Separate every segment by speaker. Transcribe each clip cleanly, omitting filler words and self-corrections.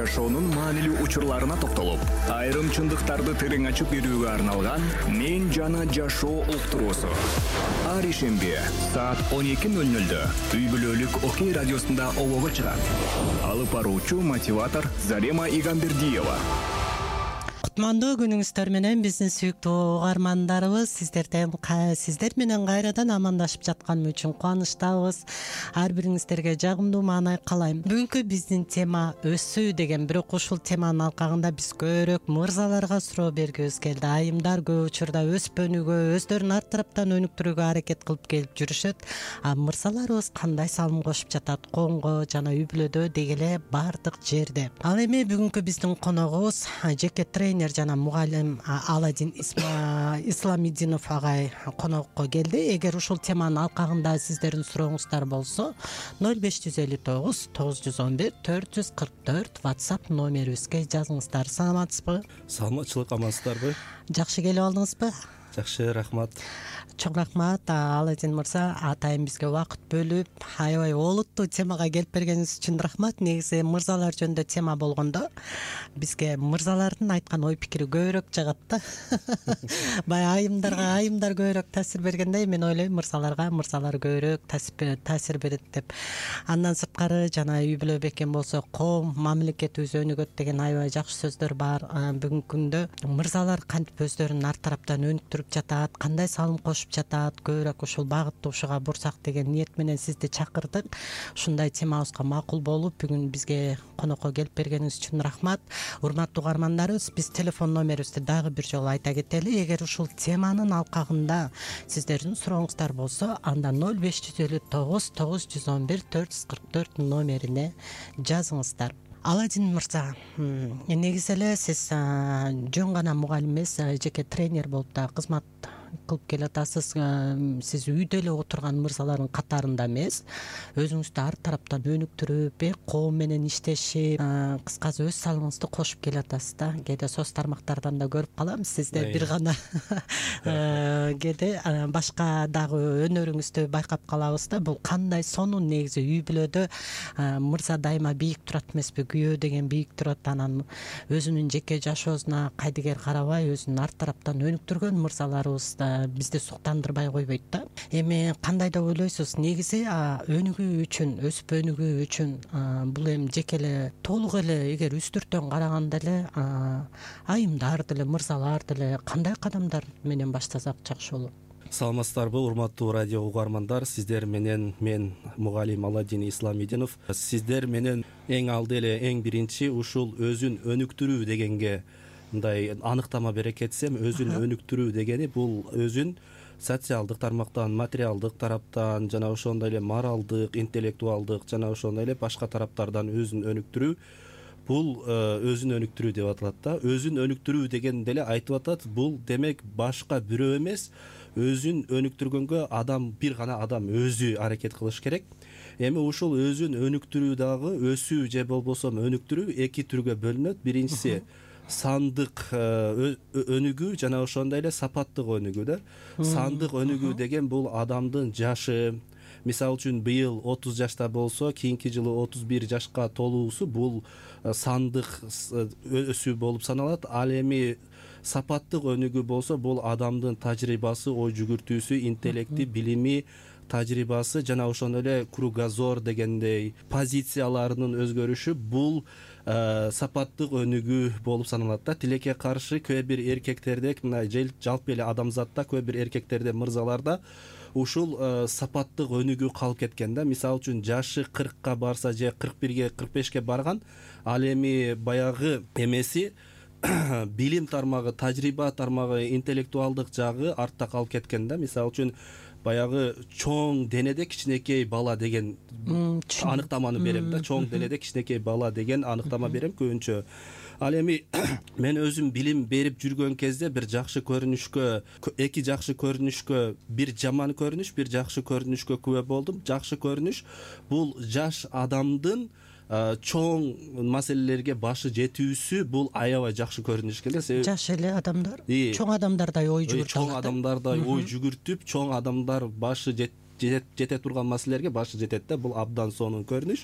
Speaker 1: жашоонун маанилүү учурларына токтолуп, айрым чындыктарды терең ачып берүүгө арналган «Мен жана жашоо» уктуруусу. Ар ишемби саат 12:00 үй бүлөлүк Окей радиосунда обого чыгат. Алып баруучу мотиватор Зарема Игамбердиева.
Speaker 2: Кутмандуу күнүңүздөр менен биздин сүйүктүү угармандарыбыз, сиздер менен кайрадан амандашып жатканым үчүн кубанычтабыз. Ар бириңиздерге жагымдуу маанай каалайм. Бүгүнкү биздин тема өсүү деген, бирок ушул теманын алкагында биз көбүрөөк мырзаларга суроо бергибиз келди. Айымдар көп учурда өспөнүүгө, өздөрүн ар тараптан өнүктүрүүгө аракет кылып келип жүрүшөт. А мырзаларыбыз кандай салым кошуп жатат конго жана үй бүлөдө дегеле бардык жерде. Ал эми бүгүнкү биздин коногубуз жеке тренер жана мугалим Аладин Исламидинов агай конокко келди. Эгер ушул теманын алкагында сиздердин сурооңуздар болсо 0559 911 444 WhatsApp номерибизге жазыңыздар. Саламатсызбы?
Speaker 3: Саламатчылык, амансыздарбы?
Speaker 2: Жакшы келип алдыңызбы?
Speaker 3: Жакшы, рахмат.
Speaker 2: Чоң рахмат Аладин мырза, атайын бизге убакыт бөлүп, аябай олуттуу темага келип бергениңиз үчүн рахмат. Негизи мырзалар жөнүндө тема болгондо бизге мырзалардын айткан ой пикири көбүрөөк жагат да. Баягы айымдар көбүрөөк таасир бергендей, мен ойлойм мырзалар көбүрөөк таасир берет деп. Андан сырткары жана үй бүлө бекем болсо коом, мамлекетибиз өнүгөт деген аябай жакшы сөздөр бар. Бүгүнкү күндө мырзалар кантип өздөрүн ар тараптан өнүктүрүп жатат, кандай салым кошуп жатат, көбүрөөк ушул багытты ушуга бурсак деген ниет менен сизди чакырдык. Ушундай темабызга макул болуп, бүгүн бизге конокко келип бергениңиз үчүн рахмат. Урматтуу угармандарыбыз, биз телефон номерибизди дагы бир жолу айта кетели. Эгер ушул теманын алкагында сиздердин сурооңуздар болсо, анда 0559 911 444 номерине жазыңыздар. Аладин мырза, негизи эле сиз жөн гана мугалим эмес, жеке тренер болуп да кызмат кылып келатасыз. Сиз үйдө эле отурган мырзалардын катарында эмес, өзүңүздү ар тараптан өнүктүрүп, коом менен иштешип, кыскасы өз салымыңызды кошуп келатасыз да. Кээде соц тармактардан да көрүп калам сизде бир гана кээде башка дагы өнөрүңүздү байкап калабыз да. Бул кандай сонун негизи үй бүлөдө мырза дайыма бийик турат эмеспи, күйөө деген бийик турат. Анан өзүнүн жеке жашоосуна кайдыгер карабай, өзүн ар тараптан өнүктүргөн мырзаларыбыз бизди суктандырбай койбойт да. Эми кандай деп ойлойсуз? Негизи өнүгүү үчүн, өсүп өнүгүү үчүн бул эми жеке эле толук эле эгер үстүртөн караганда эле айымдар деле, мырзалар деле кандай кадамдар менен баштасак жакшы болот?
Speaker 3: Саламатсыздарбы, урматтуу радио угармандар? Сиздер менен мен мугалим Аладин Исламидинов. Сиздер менен эң алды эле эң биринчи ушул өзүн өнүктүрүү дегенге мындай аныктама бере кетсем, өзүн өнүктүрүү дегени бул өзүн социалдык тармактан, материалдык тараптан жана ошондой эле моралдык, интеллектуалдык жана ошондой эле башка тараптардан өзүн өнүктүрүү. Бул өзүн өнүктүрүү деп аталат да. Өзүн өнүктүрүү деген деле айтып атат. Бул демек башка бирөө эмес, өзүн өнүктүргөнгө бир гана адам өзү аракет кылыш керек. Эми ушул өзүн өнүктүрүү дагы өсүү же болбосо өнүктүрүү эки түргө бөлүнөт. Биринчиси сандык өнүгүү жана ошондой эле сапаттык өнүгүү да. Сандык өнүгүү деген бул адамдын жашы, мисалы үчүн быйыл 30 жашта болсо, кийинки жылы 31 жашка толуусу бул сандык өсүү болуп саналат. Ал эми сапаттык өнүгүү болсо, бул адамдын тажрыйбасы, ой жүгүртүүсү, интеллекти, билими, тажрыйбасы жана ошондой эле кругозор дегендей позицияларынын өзгөрүшү бул сапаттык өнүгүү болуп саналат да. Тилекке каршы кээ бир эркектерде, мына жалпы эле адамзатта кээ бир эркектерде, мырзаларда ушул сапаттык өнүгүү калып кеткен да. Мисалы үчүн жашы 40ка барса же 41ге, 45ке барган, ал эми баягы эмеси билим тармагы, тажрыйба тармагы, интеллектуалдык жагы артта калып кеткен да. Мисалы үчүн баягы чоң денеде кичинекей бала деген аныктаманы берем да. Чоң денеде кичинекей бала деген аныктама берем көбүнчө. Ал эми мен өзүм билим берип жүргөн кезде бир жакшы көрүнүшкө, эки жакшы көрүнүшкө, бир жаман көрүнүш, бир жакшы көрүнүшкө күбө болдум. Жакшы көрүнүш бул жаш адамдын чоң маселелерге башы жетүүсү, бул аябай жакшы көрүнүш экен да.
Speaker 2: Жаш эле адамдар, чоң адамдардай ой жүгүртүп,
Speaker 3: чоң адамдардай ой жүгүртүп, чоң адамдар башы жете турган маселелерге башы жетет да. Бул абдан сонун көрүнүш.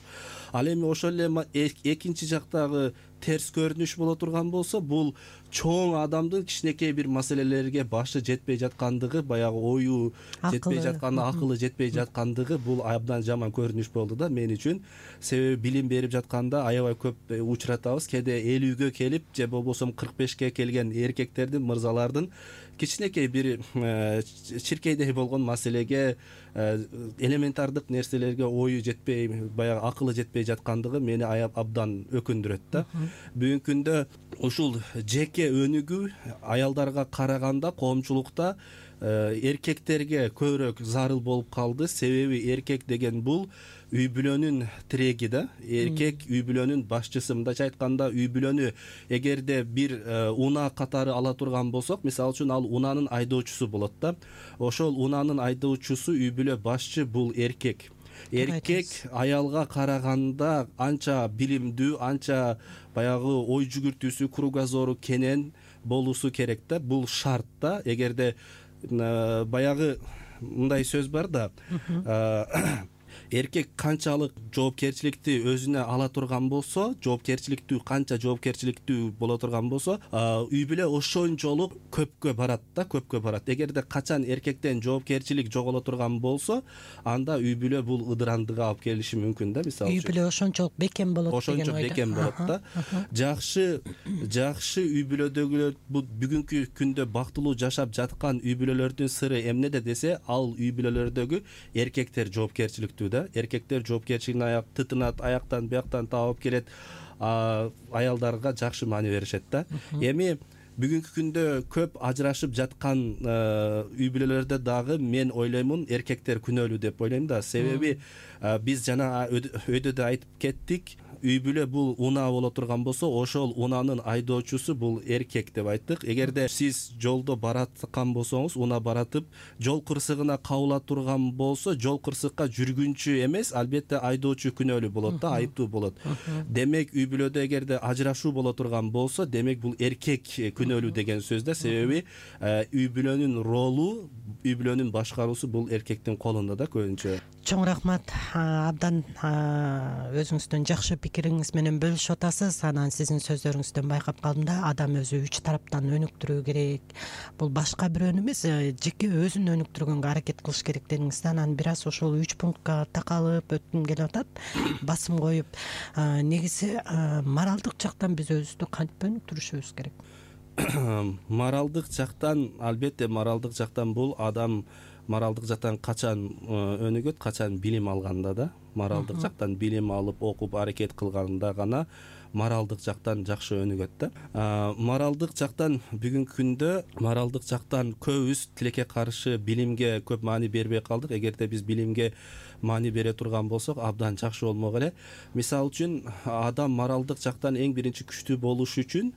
Speaker 3: Ал эми ошол эле экинчи жактагы терс көрүнүш боло турган болсо, бул чоң адамдын кичинекей бир маселелерге башы жетпей жаткандыгы, баягы ою жетпей жатканы, акылы жетпей жаткандыгы бул абдан жаман көрүнүш болду да мен үчүн. Себеби билим берип жатканда аябай көп учуратабыз. Кээде 50гө келип же болбосо 45ке келген эркектердин, мырзалардын кичинекей бир чиркейдей болгон маселеге, элементардык нерселерге ою жетпей, баягы акылы жетпей жаткандыгы мени абдан өкүндүрөт да. Бүгүнкү күндө ушул жеке өнүгүү аялдарга караганда коомчулукта эркектерге көбүрөөк зарыл болуп калды. Себеби эркек деген бул үй бүлөнүн тиреги да. Эркек үй бүлөнүн башчысы. Мындайча айтканда, үй бүлөнү эгерде бир унаа катары ала турган болсок, мисалы үчүн ал унаанын айдоочусу болот да. Ошол унаанын айдоочусу, үй бүлө башчы бул эркек. Эркек аялга караганда анча билимдүү, анча баягы ой жүгүртүүсү, кругозору кенен болуусу керек да. Бул шарт да. Эгерде баягы мындай сөз бар да, эркек канчалык жоопкерчиликти өзүнө ала турган болсо, канча жоопкерчиликтүү боло турган болсо, үй бүлө ошончолук көпкө барат да, көпкө барат. Эгерде качан эркектен жоопкерчилик жоголо турган болсо, анда үй бүлө бул ыдырандыга алып келиши мүмкүн да. Мисалы
Speaker 2: үй бүлө ошончолук бекем болот деген ойдо.
Speaker 3: Ошончо бекем болот да. Жакшы үй бүлөдөгүлөр, бул бүгүнкү күндө бактылуу жашап жаткан үй бүлөлөрдүн сыры эмнеде десе, ал үй бүлөлөрдөгү эркектер жоопкерчиликтүү да. Эркектер жоопкерчилигин тытынат, аяктан бияктан таап келет, аялдарга жакшы маани беришет да. Эми бүгүнкү күндө көп ажырашып жаткан үй бүлөлөрдө дагы мен ойлоймун эркектер күнөөлүү деп ойлойм да. Себеби биз жана өйдө да айтып кеттик, үй бүлө бул унаа боло турган болсо, ошол унаанын айдоочусу бул эркек деп айттык. Эгерде сиз жолдо бараткан болсоңуз, унаа баратып, жол кырсыгына кабыла турган болсо, жол кырсыкка жүргүнчү эмес, албетте айдоочу күнөөлүү болот да, айыптуу болот. Демек үй бүлөдө эгерде ажырашуу боло турган болсо, демек бул эркек күнөөлүү деген сөз да. Себеби үй бүлөнүн ролу, үй бүлөнүн башкаруусу бул эркектин колунда да көбүнчө.
Speaker 2: Чоң рахмат. Абдан өзүңүздүн жакшы пикириңиз менен бөлүшүп атасыз. Анан сиздин сөздөрүңүздөн байкап калдым да, адам өзү 3 тараптан өнүктүрүү керек. Бул башка бирөөнү эмес, жеке өзүн өнүктүргөнгө аракет кылыш керек дедиңиз да. Анан бир аз ошол 3 пунктка такалып өткүм келип атат, басым коюп. Негизи моралдык жактан биз өзүбүздү кантип өнүктүрүшүбүз керек?
Speaker 3: Моралдык жактан, албетте моралдык жактан бул адам моралдык жактан качан өнүгөт, качан билим алганда да. Моралдык жактан билим алып, окуп, аракет кылганда гана моралдык жактан жакшы өнүгөт да. Моралдык жактан бүгүнкү күндө моралдык жактан көбүбүз тилекке каршы билимге көп маани бербей калдык. Эгерде биз билимге маани бере турган болсок, абдан жакшы болмок эле. Мисалы үчүн, адам моралдык жактан эң биринчи күчтүү болуш үчүн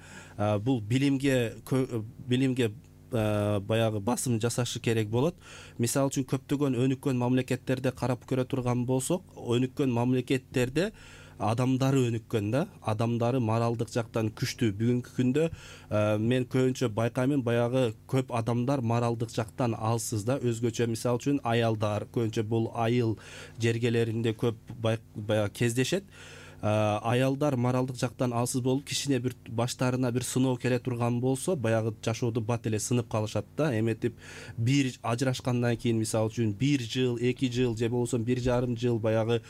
Speaker 3: бул билимге баягы басым жасашы керек болот. Мисалы үчүн, көптөгөн өнүккөн мамлекеттерде карап көрө турган болсок, өнүккөн мамлекеттерде адамдары өнүккөн да, адамдары моралдык жактан күчтүү. Бүгүнкү күндө мен көбүнчө байкаймын, баягы көп адамдар моралдык жактан алсыз да. Өзгөчө, мисалы үчүн, аялдар көбүнчө бул айыл жергелеринде көп баягы кездешет. Аялдар моралдык жактан алсыз болуп, кичине бир баштарына бир сыноо келе турган болсо, баягы жашоодо бат эле сынып калышат да. Эметип бир ажырашкандан кийин, мисалы үчүн, 1 жыл, 2 жыл же болбосо 1,5 жыл баягы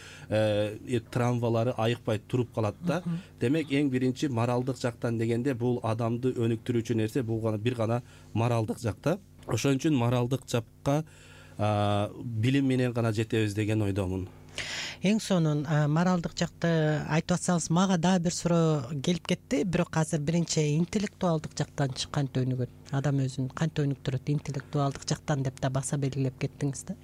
Speaker 3: травмалары айыкпай туруп калат да. Демек, эң биринчи моралдык жактан дегенде бул адамды өнүктүрүүчү нерсе бул бир гана моралдык жакта. Ошон үчүн моралдык жакка билим менен гана жетебиз деген ойдомун.
Speaker 2: Эң сонун моралдык жакты айтып атсаңыз, мага дагы бир суроо келип кетти. Бирок азыр биринчи интеллектуалдык жактан кантип өнүгөт? Адам өзүн кантип өнүктүрөт интеллектуалдык жактан деп да баса белгилеп кеттиңиз да.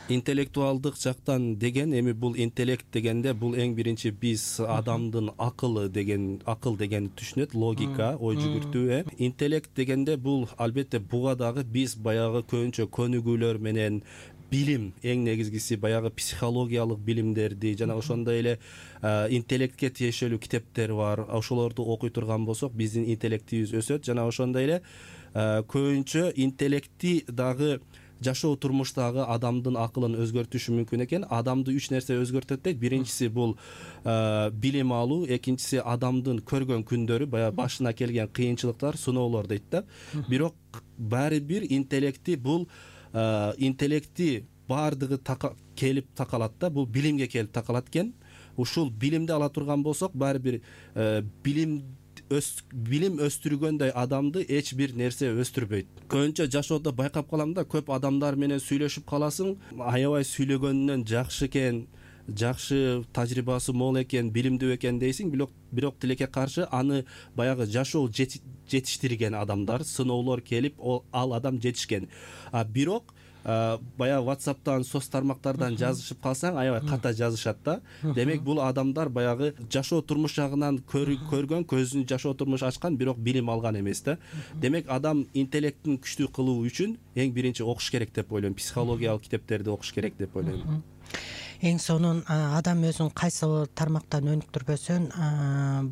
Speaker 3: Интеллектуалдык жактан деген, эми бул интеллект дегенде бул эң биринчи биз адамдын акыл дегенди түшүнөт, логика, ой жүгүртүү. Интеллект дегенде бул албетте буга дагы биз баягы көбүнчө көнүгүүлөр менен билим, эң негизгиси баягы психологиялык билимдерди жана ошондой эле интеллектке тиешелүү китептер бар. Ошолорду окуй турган болсок, биздин интеллектибиз өсөт жана ошондой эле көбүнчө интеллектти дагы жашоо турмуштагы адамдын акылын өзгөртүшү мүмкүн экен. Адамды 3 нерсе өзгөртөт дейт. Биринчиси бул билим алуу, экинчиси адамдын көргөн күндөрү, баягы башына келген кыйынчылыктар, сыноолор дейт да. Бирок баары бир интеллекти баардыгы келип такалат да. Бул билимге келип такалат экен. Ушул билимди ала турган болсок, баары бир билим өстүргөндөй адамды эч бир нерсе өстүрбөйт. Көбүнчө жашоодо байкап калам да, көп адамдар менен сүйлөшүп каласың, аябай сүйлөгөнүнөн жакшы экен, жакшы тажрыйбасы мол экен, билимдүү экен дейсиң, бирок тилекке каршы аны баягы жашоо жетиштирген адамдар, сыноолор келип, ал адам жетишкен. Бирок баягы WhatsApp'тан, соц тармактардан жазышып калсаң, аябай ката жазышат да. Демек бул адамдар баягы жашоо турмуш жагынан көргөн, көзүн жашоо турмуш ачкан, бирок билим алган эмес да. Демек адам интеллектин күчтүү кылуу үчүн эң биринчи окуш керек деп ойлойм. Психологиялык китептерди окуш керек деп ойлойм.
Speaker 2: Эң сонун адам өзүн кайсы тармактан өнүктүрбөсүн,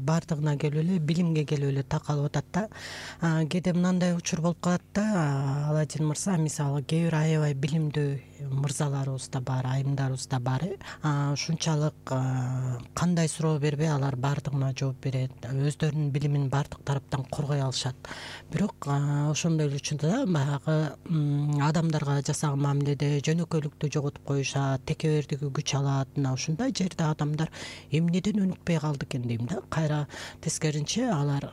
Speaker 2: баардыгына келип эле билимге келип эле такалып атат да. Кээде мындай учур болуп калат да, Аладдин мырза, мисалы кээ бир аябай билимдүү мырзаларыбыз да бар, айымдарыбыз да бар. Ушунчалык кандай суроо бербей алар баардыгына жооп берет, өздөрүнүн билимин баардык тараптан коргой алышат. Бирок ошондой эле учурда баягы адамдарга жасаган мамиледе жөнөкөйлүктү жоготуп коюшат, текебердиги күч алат. Мына ушундай жерде адамдар эмнеден өнүкпөй калды экен дейм да. Кайра тескеринче алар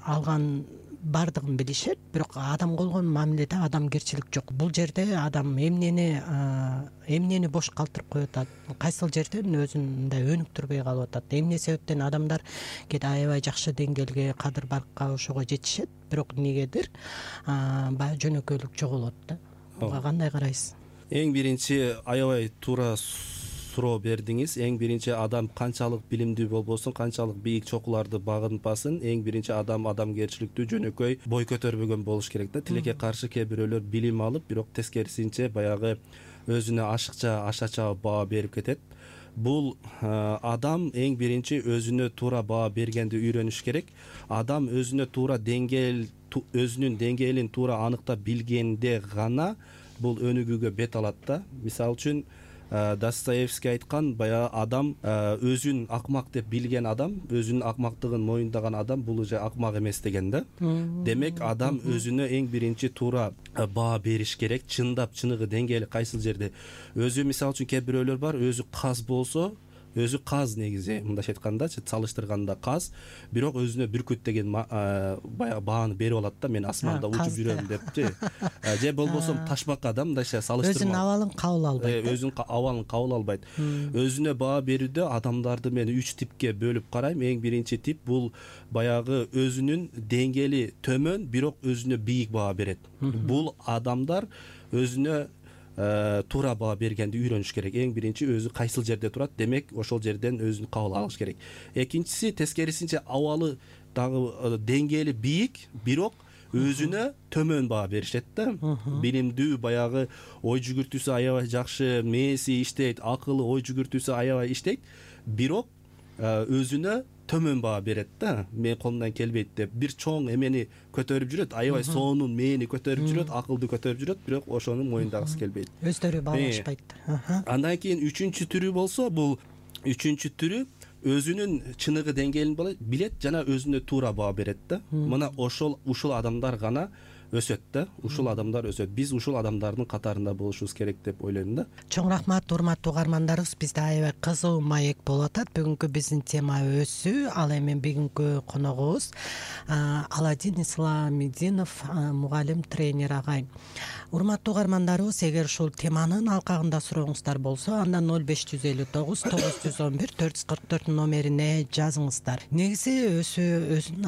Speaker 2: алган баардыгын билишет, бирок адамга болгон мамиледе адамгерчилик жок. Бул жерде адам эмнени бош калтырып коюп атат, кайсыл жерден өзүн мындай өнүктүрбөй калып атат, эмне себептен адамдар кээде аябай жакшы деңгээлге, кадыр баркка ошого жетишет, бирок эмнегедир баягы жөнөкөйлүк жоголот да. Буга кандай карайсыз?
Speaker 3: Эң биринчи аябай туура суроо бердиңиз. Эң биринчи адам канчалык билимдүү болбосун, канчалык бийик чокуларды багынпасын, эң биринчи адам адамгерчиликтүү, жөнөкөй, бой көтөрбөгөн болуш керек да. Тилекке каршы кээ бирөөлөр билим алып, бирок тескерисинче баягы өзүнө ашыкча, ашача баа берип кетет. Бул адам эң биринчи өзүнө туура баа бергенди үйрөнүш керек. Адам өзүнө туура өзүнүн деңгээлин туура аныктап билгенде гана бул өнүгүүгө бет алат да. Мисалы үчүн Достоевский айткан, баягы адам өзүн акмак деп билген адам, өзүнүн акмактыгын моюндаган адам бул уже акмак эмес деген да. Демек адам өзүнө эң биринчи туура баа бериш керек, чындап чыныгы деңгээли кайсыл жерде. Өзү мисалы үчүн кээ бирөөлөр бар, өзү каз болсо, өзү каз негизи, мындайча айткандачы, салыштырганда каз, бирок өзүнө бүркүт деген баягы бааны берип алат да, мен асманда учуп жүрөм депчи. Же болбосо ташбака да, мындайча салыштырма. Өзүнүн
Speaker 2: абалын кабыл албайт.
Speaker 3: Өзүнүн абалын кабыл албайт. Өзүнө баа берүүдө адамдарды мен 3 типке бөлүп карайм. Эң биринчи тип бул баягы өзүнүн деңгээли төмөн, бирок өзүнө бийик баа берет. Бул адамдар өзүнө туура баа бергенди үйрөнүш керек. Эң биринчи өзү кайсыл жерде турат, демек ошол жерден өзүн кабыл алыш керек. Экинчиси тескерисинче абалы дагы деңгээли бийик, бирок өзүнө төмөн баа беришет да. Билимдүү, баягы ой жүгүртүүсү аябай жакшы, мээси иштейт, акылы, ой жүгүртүүсү аябай иштейт, бирок өзүнө төмөн баа берет да. Мен колумдан келбейт деп бир чоң эмени көтөрүп жүрөт, аябай сонун мэени көтөрүп жүрөт, акылды көтөрүп жүрөт, бирок ошону моюндагысы келбейт.
Speaker 2: Өздөрү баалашпайт.
Speaker 3: Андан кийин үчүнчү түрү болсо, бул үчүнчү түрү өзүнүн чыныгы деңгээлин билет жана өзүнө туура баа берет да. Мына ушул адамдар гана өсөт да. Ушул адамдар өсөт. Биз ушул адамдардын катарында болушубуз керек деп ойлойм да.
Speaker 2: Чоң рахмат, урматтуу угармандарыбыз. Бизде аябай кызуу маек болуп атат. Бүгүнкү биздин тема өсүү. Ал эми бүгүнкү коногубуз Аладдин Исламидинов, мугалим, тренер агай. Урматтуу угармандарыбыз, эгер ушул теманын алкагында сурооңуздар болсо, андан 0559 911 444 номерине жазыңыздар. Негизи өсүү өзүнүн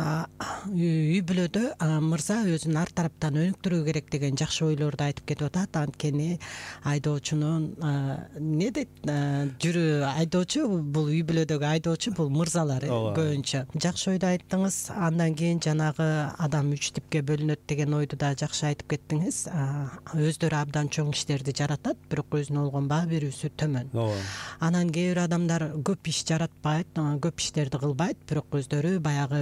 Speaker 2: үй бүлөдө мырза өзүн ар тараптан өнүктүрүү керек деген жакшы ойлорду айтып кетип атат. Анткени айдоочунун эмне дейт, айдоочу, бул үй бүлөдөгү айдоочу бул мырзалар көбүнчө. Жакшы ойду айттыңыз. Андан кийин жанагы адам 3 типке бөлүнөт деген ойду да жакшы айтып кеттиңиз. өздөрү абдан чоң иштерди жаратат, бирок өзүнө болгон баа берүүсү төмөн.
Speaker 3: ооба.
Speaker 2: Анан кээ бир адамдар көп иш жаратпайт, көп иштерди кылбайт, бирок өздөрү баягы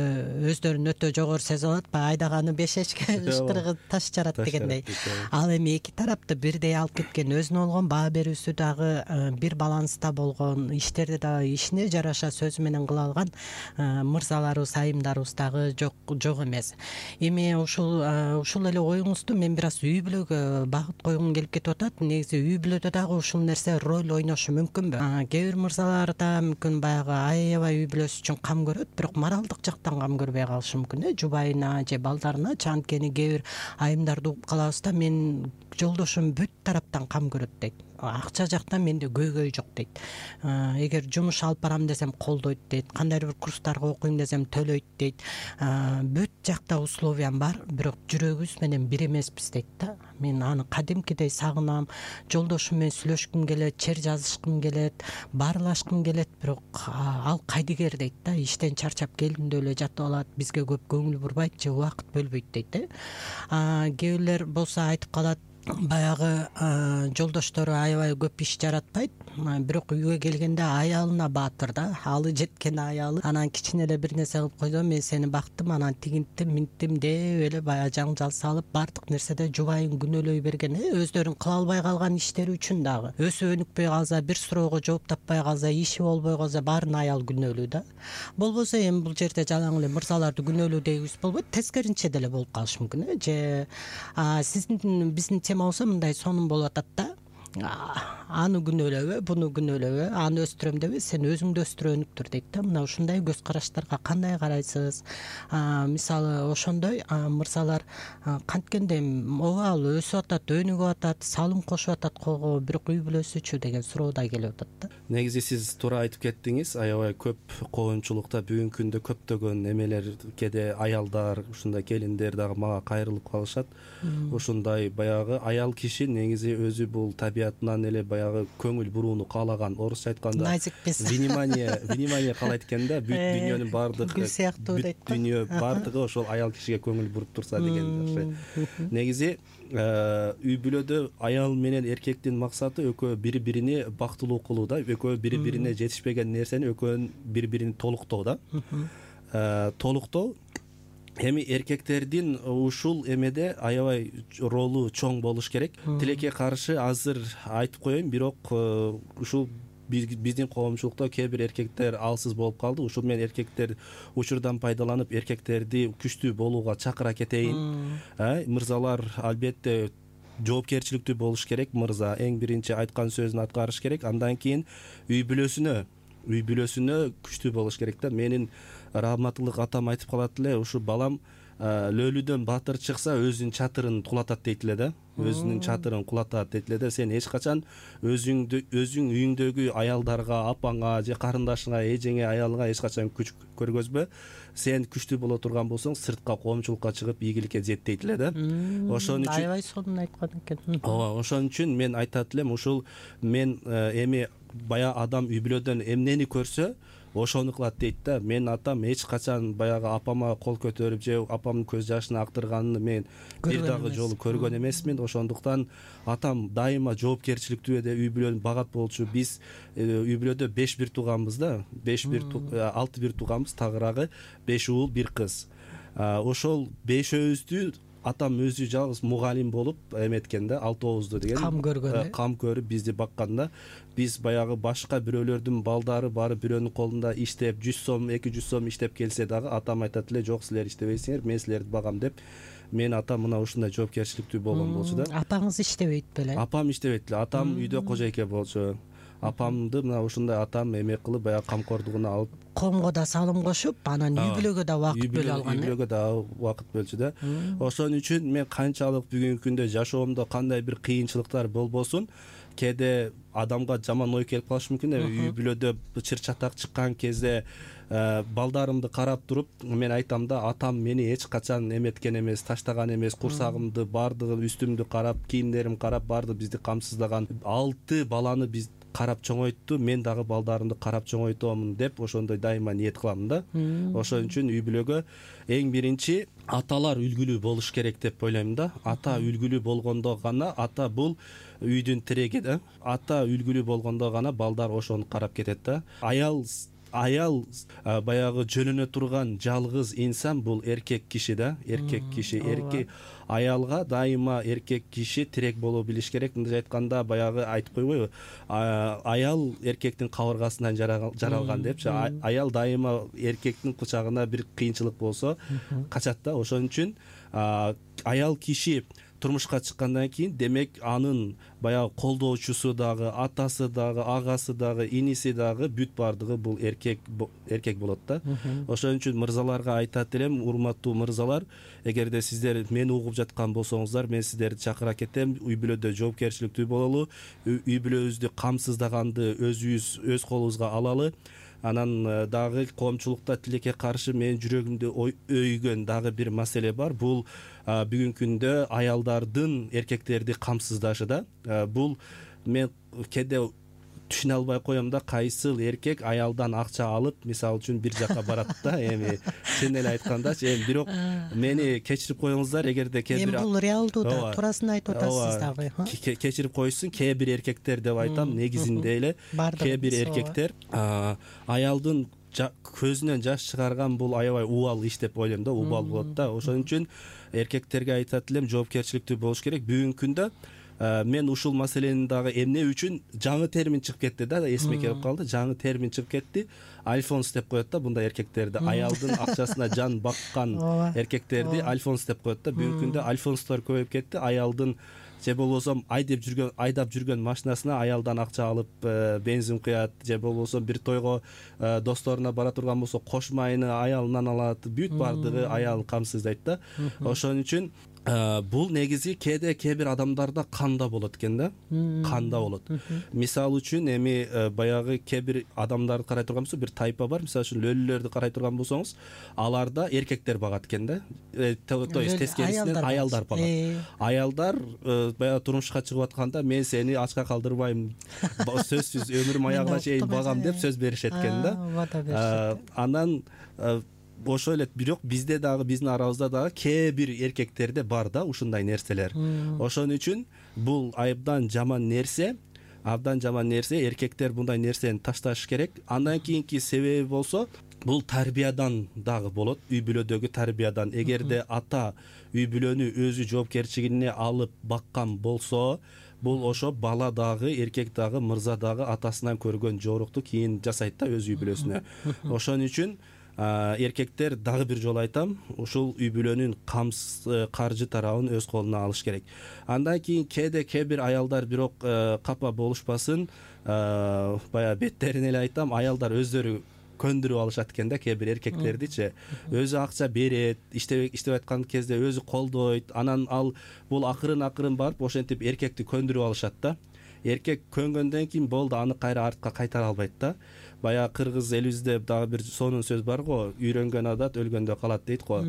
Speaker 2: өздөрүн өтө жогору сезип алат, баягы айдаганы 5 эчке ышкырыгы таш жарат дегендей. Ал эми эки тарапты бирдей алып кеткен, өзүнө болгон баа берүүсү дагы бир баланста болгон, иштерди дагы ишине жараша сөзү менен кыла алган мырзаларыбыз, айымдарыбыз дагы жок эмес. Эми ушул эле оюңузду мен бир аз үй бүлөгө багыт койгум келип кетип атат. Негизи үй бүлөдө дагы ушул нерсе роль ойношу мүмкүнбү? Кээ бир мырзалар да мүмкүн баягы аябай үй бүлөсү үчүн кам көрөт, бирок моралдык жактан кам көрбөй калышы мүмкүн, жубайына же балдарына. Анткени кээ бир айымдарды угуп калабыз да, мен жолдошум бүт тараптан кам көрөт дейт. Акча жактан менде көйгөй жок дейт. Эгер жумуш алып барам десем колдойт дейт. Кандайдыр бир курстарга окуйм десем төлөйт дейт. Бүт жакта условиям бар, бирок жүрөгүбүз менен бир эмеспиз дейт да. Мен аны кадимкидей сагынам. Жолдошум менен сүйлөшкүм келет, чер жазышкым келет, баарлашкым келет, бирок ал кайдыгер дейт да. Иштен чарчап келдимде эле жатып алат, бизге көп көңүл бурбайт же убакыт бөлбөйт дейт. Кээ бирлер болсо айтып калат, баягы жолдоштору аябай көп иш жаратпайт, бирок үйгө келгенде аялына баатыр да, алы жеткен аялы. Анан кичине эле бир нерсе кылып койдо, мен сени бактым, анан тигинттим, минттим деп эле баягы жаңжал салып, баардык нерседе жубайын күнөөлөй берген, өздөрүн кыла албай калган иштери үчүн дагы. Өсүп өнүкпөй калса, бир суроого жооп таппай калса, иши болбой калса, баарын аял күнөөлүү да. Болбосо эми бул жерде жалаң эле мырзаларды күнөөлүү дегибиз болбойт, тескеринче деле болуп калышы мүмкүн. Же сиздин биздин болсо мындай сонун болуп атат да. Аны күнөөлөбө, буну күнөөлөбө, аны өстүрөм дебе, сен өзүңдү өстүрө өнүктүр дейт да. Мына ушундай көз караштарга кандай карайсыз? Мисалы ошондой мырзалар канткенде ооба ал өсүп атат, өнүгүп атат, салым кошуп атат колго, бирок үй бүлөсүчү деген суроо да келип атат да.
Speaker 3: Негизи сиз туура айтып кеттиңиз, аябай көп коомчулукта бүгүнкү күндө көптөгөн эмелер, кээде аялдар, ушундай келиндер дагы мага кайрылып калышат. Ушундай баягы аял киши негизи өзү бул табиятынан эле баягы көңүл бурууну каалаган, орусча айтканда
Speaker 2: назикпиз.
Speaker 3: Внимание каалайт экен да, бүт дүйнөнүн баардык
Speaker 2: гүл сыяктуу дейт да.
Speaker 3: Дүйнө баардыгы ошол аял кишиге көңүл буруп турса деген. Негизи үй бүлөдө аял менен эркектин максаты экөө бири бирине бактылуу кылуу да, экөө бири бирине жетишпеген нерсени экөөнүн бири бирин толуктоо да. Толуктоо. Эми эркектердин ушул эмеде аябай ролу чоң болуш керек. Тилекке каршы азыр айтып коеюн, бирок ушул биздин коомчулукта кээ бир эркектер алсыз болуп калды. Ушул менен эркектер учурдан пайдаланып эркектерди күчтүү болууга чакыра кетейин. Мырзалар албетте жоопкерчиликтүү болуш керек. Мырза эң биринчи айткан сөзүн аткарыш керек. Андан кийин үй бүлөсүнө күчтүү болуш керек да. Менин рахматтылык атам айтып калат эле, ушу балам лөлүдөн баатыр чыкса өзүнүн чатырын кулатат дейт эле да. Өзүнүн чатырын кулатат дейт эле да. Сен эч качан өзүң үйүңдөгү аялдарга, апаңа же карындашыңа, эжеңе, аялыңа эч качан күч көргөзбө. Сен күчтүү боло турган болсоң, сыртка коомчулукка чыгып ийгиликке зет дейт эле да. Ошон үчүн
Speaker 2: аябай сонун айткан экен.
Speaker 3: Ооба, ошон үчүн мен айтат элем, ушул мен эми бая адам үй бүлөдөн эмнени көрсө, ошону кылат дейт да. Менин атам эч качан баягы апама кол көтөрүп же апамдын көз жашын актырганын мен бир дагы жолу көргөн эмесмин. Ошондуктан атам дайыма жоопкерчиликтүү үй бүлөнү багат болчу. Биз үй бүлөдө 5 бир тууганбыз да. 6 бир тууганбыз, тагыраагы 5 уул, 1 кыз. Ошол 5өөбүздү атам өзү жалгыз мугалим болуп эметкен да, 6-оозду деген.
Speaker 2: Кам көргөн.
Speaker 3: Кам көрүп бизди бакканда, биз баягы башка бирөөлөрдүн балдары барып бирөөнүн колунда иштеп 100 сом, 200 сом иштеп келсе дагы атам айтат эле, жок силер иштебейсиңер, мен силерди багам деп. Мен атам мына ушундай жоопкерчиликтүү болгон болчу да.
Speaker 2: Апаңыз иштебейт беле?
Speaker 3: Апам иштебейт эле. Атам үйдө кожойке болчу. Апамды мына ушундай атам эме кылып баягы камкордугуна алып,
Speaker 2: коомго да салым кошуп, анан үй бүлөгө да убакыт бөлө алган.
Speaker 3: Үй бүлөгө да убакыт бөлчү да. Ошон үчүн мен канчалык бүгүнкү күндө жашоомдо кандай бир кыйынчылыктар болбосун, кээде адамга жаман ой келип калышы мүмкүн. Үй бүлөдө чыр чатак чыккан кезде балдарымды карап туруп мен айтам да, атам мени эч качан эметкен эмес, таштаган эмес, курсагымды баардыгын, үстүмдү карап, кийимдерим карап, баардыгы бизди камсыздаган. 6 баланы биз карап чоңойтту, мен дагы балдарымды карап чоңойтомун деп ошондой дайыма ниет кылам да. Ошон үчүн үй бүлөгө эң биринчи аталар үлгүлүү болуш керек деп ойлойм да. Ата үлгүлүү болгондо гана, ата бул үйдүн тиреги да. Ата үлгүлүү болгондо гана балдар ошону карап кетет да. Аял баягы жөнөнө турган жалгыз инсан бул эркек киши да. Эркек киши, эркек аялга дайыма эркек киши тирек боло билиш керек. Мындай айтканда баягы айтып койбойбу, аял эркектин кабыргасынан жаралган депчи. Аял дайыма эркектин кучагына бир кыйынчылык болсо качат да. Ошон үчүн аял киши турмушка чыккандан кийин, демек анын баягы колдоочусу дагы, атасы дагы, агасы дагы, иниси дагы бүт бардыгы бул эркек болот да. Ошон үчүн мырзаларга айтат элем, урматтуу мырзалар, эгерде сиздер мени угуп жаткан болсоңуздар, мен сиздерди чакыра кетем, үй бүлөдө жоопкерчиликтүү бололу, үй бүлөбүздү камсыздаганды өз колубузга алалы. Анан дагы коомчулукта тилекке каршы менин жүрөгүмдү өйгөн дагы бир маселе бар. Бул бүгүнкү күндө аялдардын эркектерди камсыздашы да. Бул мен кээде түшүнө албай коем да, кайсыл эркек аялдан акча алып, мисалы үчүн бир жака барат да. Эми чын эле айтканда, бирок мени кечирип коюңуздар, эгерде кээ бир
Speaker 2: бул реалдуу да, туурасын айтып атасыз дагы.
Speaker 3: Кечирип коюшсун, кээ бир эркектер деп айтам, негизинде эле кээ бир эркектер аялдын көзүнөн жаш чыгарган бул аябай убал иш деп ойлойм да, убал болот да. Ошон үчүн эркектерге айтат элем, жоопкерчиликтүү болуш керек. Бүгүнкү күндө мен ушул маселени дагы эмне үчүн жаңы термин чыгып кетти да, эсиме келип калды. Жаңы термин чыгып кетти. Альфонс деп коет да бундай эркектерди. Аялдын акчасына жан баккан эркектерди альфонс деп коет да. Бүгүнкү күндө альфонстор көбөйүп кетти. Аялдын же болбосо айдап жүргөн машинасына аялдан акча алып бензин куят, же болбосо бир тойго досторуна бара турган болсо кош майыны аялынан алат. Бүт бардыгы аялын камсыздайт да. Ошон үчүн бул негизи кээ бир адамдарда канда болот экен да. Канда болот. Мисалы үчүн эми баягы кээ бир адамдарды карай турган болсо, бир тайпа бар. Мисалы үчүн лөлүлөрдү карай турган болсоңуз, аларда эркектер багат экен да. То есть тескерисинен аялдар багат. Аялдар баягы турмушка чыгып атканда, мен сени ачка калтырбайм, сөзсүз өмүрүм аягына чейин багам деп сөз беришет экен да. Анан ошо эле, бирок бизде дагы, биздин арабызда дагы кээ бир эркектерде бар да ушундай нерселер. Ошон үчүн бул абдан жаман нерсе. Эркектер мындай нерсени ташташ керек. Андан кийинки себеби болсо, бул тарбиядан дагы болот, үй бүлөдөгү тарбиядан. Эгерде ата үй бүлөнү өзү жоопкерчилигине алып баккан болсо, бул ошо бала дагы, эркек дагы, мырза дагы атасынан көргөн жорукту кийин жасайт да өз үй бүлөсүнө. Ошон үчүн эркектер, дагы бир жолу айтам, ушул үй бүлөнүн каржы тарабын өз колуна алыш керек. Андан кийин кээ бир аялдар, бирок капа болушпасын, баягы беттерин эле айтам, аялдар өздөрү көндүрүп алышат экен да кээ бир эркектердичи. Өзү акча берет, иштеп айткан кезде өзү колдойт, анан бул акырын барып ошентип эркекти көндүрүп алышат да. Эркек көнгөндөн кийин болду, аны кайра артка кайтара албайт да. Баягы кыргыз элибизде дагы бир сонун сөз бар го, үйрөнгөн адат өлгөндө калат дейт го.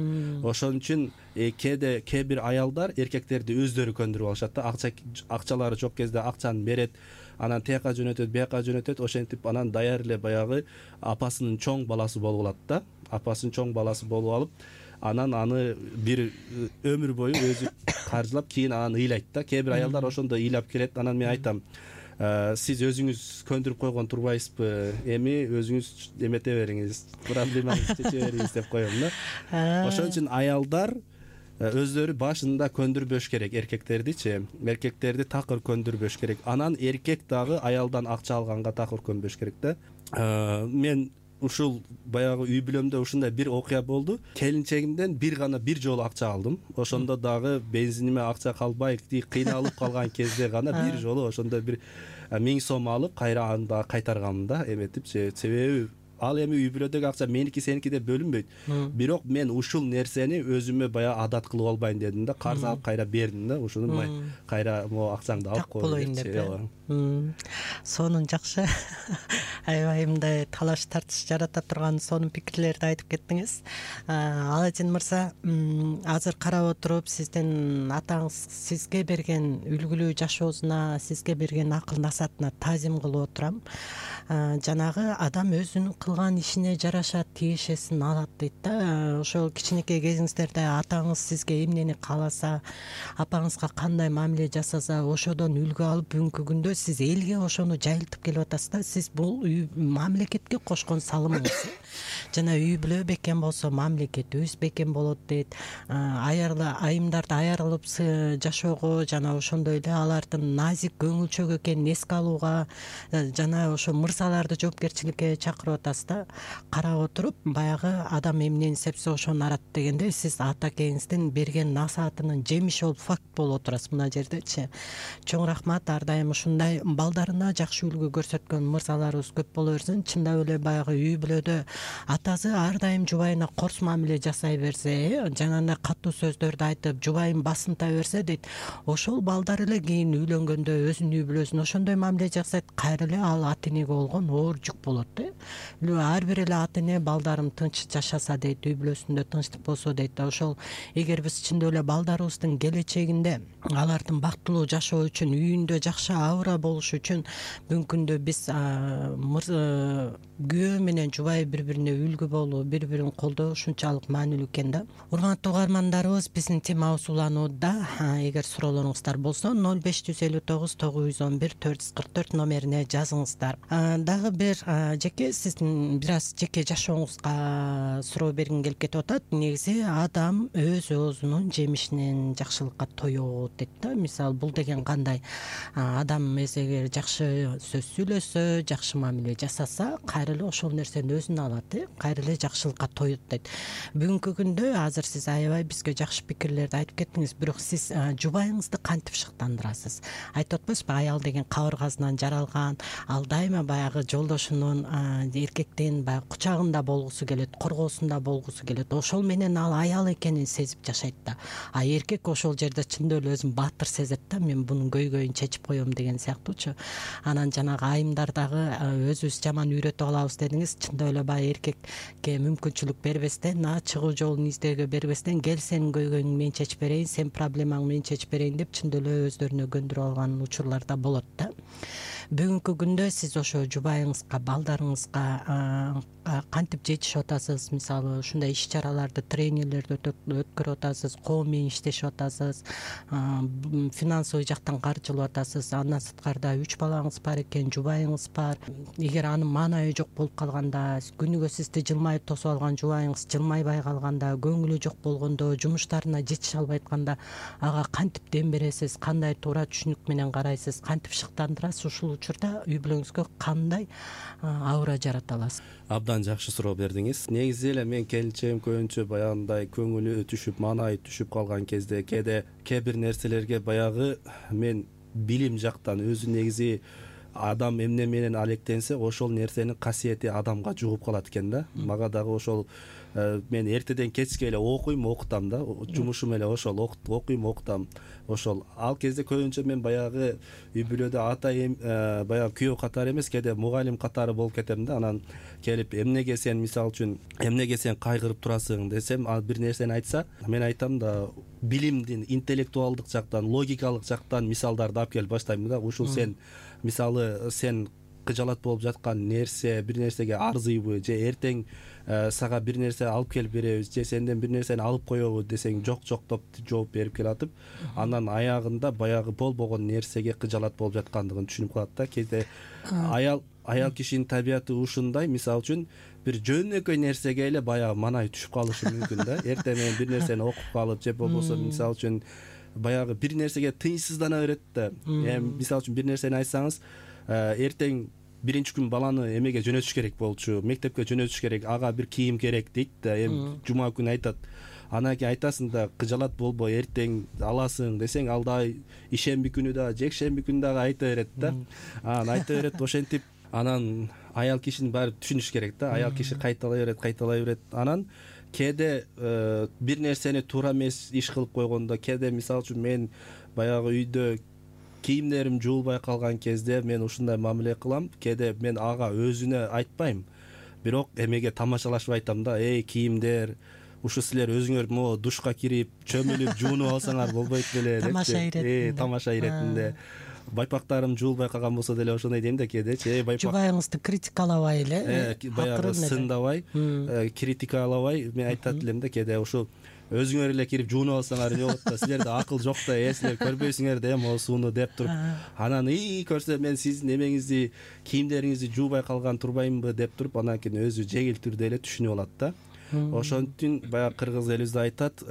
Speaker 3: Ошон үчүн кээ бир аялдар эркектерди өздөрү көндүрүп алышат да. Акчалары жок кезде акчаны берет, анан тияка жөнөтөт, бияка жөнөтөт, ошентип анан даяр эле баягы апасынын чоң баласы болуп алат да. Апасынын чоң баласы болуп алып, анан аны бир өмүр бою өзү каржылап, кийин анан ыйлайт да. Кээ бир аялдар ошондо ыйлап келет. Анан мен айтам, сиз өзүңүз көндүрүп койгон турбайсызбы, эми өзүңүз эмете бериңиз, проблемаңызды чече бериңиз деп коем да. Ошон үчүн аялдар өздөрү башында көндүрбөш керек эркектердичи. Эркектерди такыр көндүрбөш керек. Анан эркек дагы аялдан акча алганга такыр көнбөш керек да. Мен ушул баягы үй бүлөмдө ушундай бир окуя болду. Келинчегимден бир жолу акча алдым. Ошондо дагы бензиниме акча калбай, кыйналып калган кезде гана бир жолу ошондо бир 1000 сом алып, кайра аны дагы кайтарганмын да, эметип. Себеби ал эми үй бүлөдөгү акча меники сеники деп бөлүнбөйт. Бирок мен ушул нерсени өзүмө баягы адат кылып албайын дедим да, карыз алып кайра бердим да, ушуну кайра могу акчаңды алып
Speaker 2: коеюн деп. Сонун жакшы. Аябай мындай талаш тартыш жарата турган сонун пикирлерди айтып кеттиңиз. Аладин мырза, азыр карап отуруп сиздин атаңыз сизге берген үлгүлүү жашоосуна, сизге берген акыл насаатына таазим кылып отурам. Жанагы адам өзүнүн кылган ишине жараша тиешесин алат дейт да. Ошол кичинекей кезиңиздерде атаңыз сизге эмнени кааласа, апаңызга кандай мамиле жасаса, ошодон үлгү алып бүгүнкү күндө сиз элге ошону жайылтып келип атасыз да. Сиз бул мамлекетке кошкон салымыңыз. Жана үй бүлө бекем болсо мамлекет өз бекем болот дейт. Айымдарды аярылып жашоого жана ошондой эле алардын назик көңүлчөк экенин эске алууга жана ошо мырзаларды жоопкерчиликке чакырып атасыз да. Карап отуруп баягы адам эмнени сепсе ошону арат дегенде сиз ата экеңиздин берген насаатынын жемиши болуп факт болуп отурасыз мына жердечи. Чоң рахмат. Ар дайым ушундай балдарына жакшы үлгү көрсөткөн мырзаларыбыз көп боло берсин. Чындап эле баягы үй бүлөдө атасы ар дайым жубайына корс мамиле жасай берсе, жанагындай катуу сөздөрдү айтып, жубайын басынта берсе дейт, ошол балдар эле кийин үйлөнгөндө өзүнүн үй бүлөсүнө ошондой мамиле жасайт. Кайра эле ал ата энеге болгон оор жүк болот да. Ар бир эле ата эне балдарым тынч жашаса дейт, үй бүлөсүндө тынчтык болсо дейт. Ошол эгер биз чындап эле балдарыбыздын келечегинде алардын бактылуу жашоо үчүн, үйүндө жакшы аура болуш үчүн бүгүнкү күндө биз күйөө менен жубай бири-бирине үлгү болуу, бири-бирин колдоо ушунчалык маанилүү экен да. Урматтуу угармандарыбыз, биздин темабыз уланууда. Эгер суроолоруңуздар болсо 0559 911 444 номерине жазыңыздар. Дагы бир жеке сиздин бир аз жеке жашооңузга суроо бергим келип кетип атат. Негизи адам өз оозунун жемишинен жакшылыкка тоёт дейт да. Мисалы бул деген кандай? Адам эгер жакшы сөз сүйлөсө, жакшы мамиле жасаса, кайра эле ошол нерсени өзүнө алат, кайра эле жакшылыкка тоёт дейт. Бүгүнкү күндө азыр сиз аябай бизге жакшы пикирлерди айтып кеттиңиз, бирок сиз жубайыңызды кантип шыктандырасыз? Айтып атпайсызбы, аял деген кабыргасынан жаралган, ал дайыма баягы жолдошунун, эркектин баягы кучагында болгусу келет, коргоосунда болгусу келет. Ошол менен ал аял экенин сезип жашайт да. А эркек ошол жерде чындап эле өзүн баатыр сезет да, мен бунун көйгөйүн чечип коем деген сыяктуучу. Анан жанагы айымдар дагы өзүбүз жаман үйрөтүп алабыз дедиңиз. Чындап эле баягы эркекке мүмкүнчүлүк бербестен, чыгуу жолун издөөгө бербестен, кел сенин көйгөйүңдү мен чечип берейин, сен проблемаңды мен чечип берейин деп чындап эле өздөрүнө көндүрүп алган учурлар да болот да. Бүгүнкү күндө сиз ошо жубайыңызга, балдарыңызга кантип жетишип атасыз? Мисалы ушундай иш чараларды, тренингдерди өткөрүп атасыз, коом менен иштешип атасыз, финансовый жактан каржылап атасыз. Андан сырткарда 3 балаңыз бар экен, жубайыңыз бар. Эгер анын маанайы жок болуп калганда, күнүгө сизди жылмайып тосуп алган жубайыңыз жылмайбай калганда, көңүлү жок болгондо, жумуштарына жетише албай атканда, ага кантип дем бересиз? Кандай туура түшүнүк менен карайсыз? Кантип шыктандырасыз? Ушул учурда үй бүлөңүзгө кандай аура жарата аласыз?
Speaker 3: Абдан жакшы суроо бердиңиз. Негизи эле мен келинчегим көбүнчө баягындай көңүлү түшүп, маанайы түшүп калган кезде кээ бир нерселерге баягы мен билим жактан өзү негизи адам эмне менен алектенсе, ошол нерсенин касиети адамга жугуп калат экен да. Мага дагы ошол мен эртеден кечке эле окуйм, окутам да. Жумушум эле ошол, окуйм, окутам. Ошол ал кезде көбүнчө мен баягы үй бүлөдө ата баягы күйөө катары эмес, кээде мугалим катары болуп кетем да. Анан келип эмнеге сен, мисалы үчүн, эмнеге сен кайгырып турасың десем, ал бир нерсени айтса, мен айтам да, билимдин, интеллектуалдык жактан, логикалык жактан мисалдарды алып келип баштайм да. Ушул сен, мисалы, сен кыжалат болуп жаткан нерсе, бир нерсеге арзыйбы, же эртең сага бир нерсе алып келип беребиз, же сенден бир нерсени алып коебу десең, жок деп жооп берип келатып, анан аягында баягы болбогон нерсеге кыжалат болуп жаткандыгын түшүнүп калат да. Кээде аял кишинин табияты ушундай, мисалы үчүн, бир жөнөкөй нерсеге эле баягы маанайы түшүп калышы мүмкүн да. Эртең менен бир нерсени окуп калып, же болбосо мисалы үчүн баягы бир нерсеге тынчсыздана берет да. Мисалы үчүн бир нерсени айтсаңыз, эртең биринчи күн баланы эмеге жөнөтүш керек болчу, мектепке жөнөтүш керек, ага бир кийим керек дейт да. Эми жума күнү айтат. Анан кийин айтасың да, кыжалат болбо, эртең аласың десең, ал да ишемби күнү да, жекшемби күнү дагы айта берет да. Анан айта берет ошентип. Анан аял кишинин баары түшүнүш керек да. Аял киши кайталай берет. Анан кээде бир нерсени туура эмес иш кылып койгондо, кээде мисалы үчүн мен баягы үйдө кийимдерим жуулбай калган кезде мен ушундай мамиле кылам. Кээде мен ага өзүнө айтпайм, бирок эмеге тамашалашып айтам да. Кийимдер ушу силер өзүңөр могу душка кирип чөмүлүп жуунуп алсаңар болбойт беле деп. Тамаша иретинде. Байпактарым жуулбай калган болсо деле ошондой дейм да кээдечи.
Speaker 2: Жубайыңызды критикалабай эле,
Speaker 3: баягы сындабай, критикалабай мен айтат элем да кээде ушу өзүңөр эле кирип жуунуп алсаңар эмне болот да, силерде акыл жок да, силер көрбөйсүңөр да могу сууну деп туруп, анан көрсө мен сиздин эмеңизди, кийимдериңизди жуубай калган турбаймынбы деп туруп, анан кийин өзү жеңил түрдө эле түшүнүп алат да. Ошон үчүн баягы кыргыз элибизде айтат,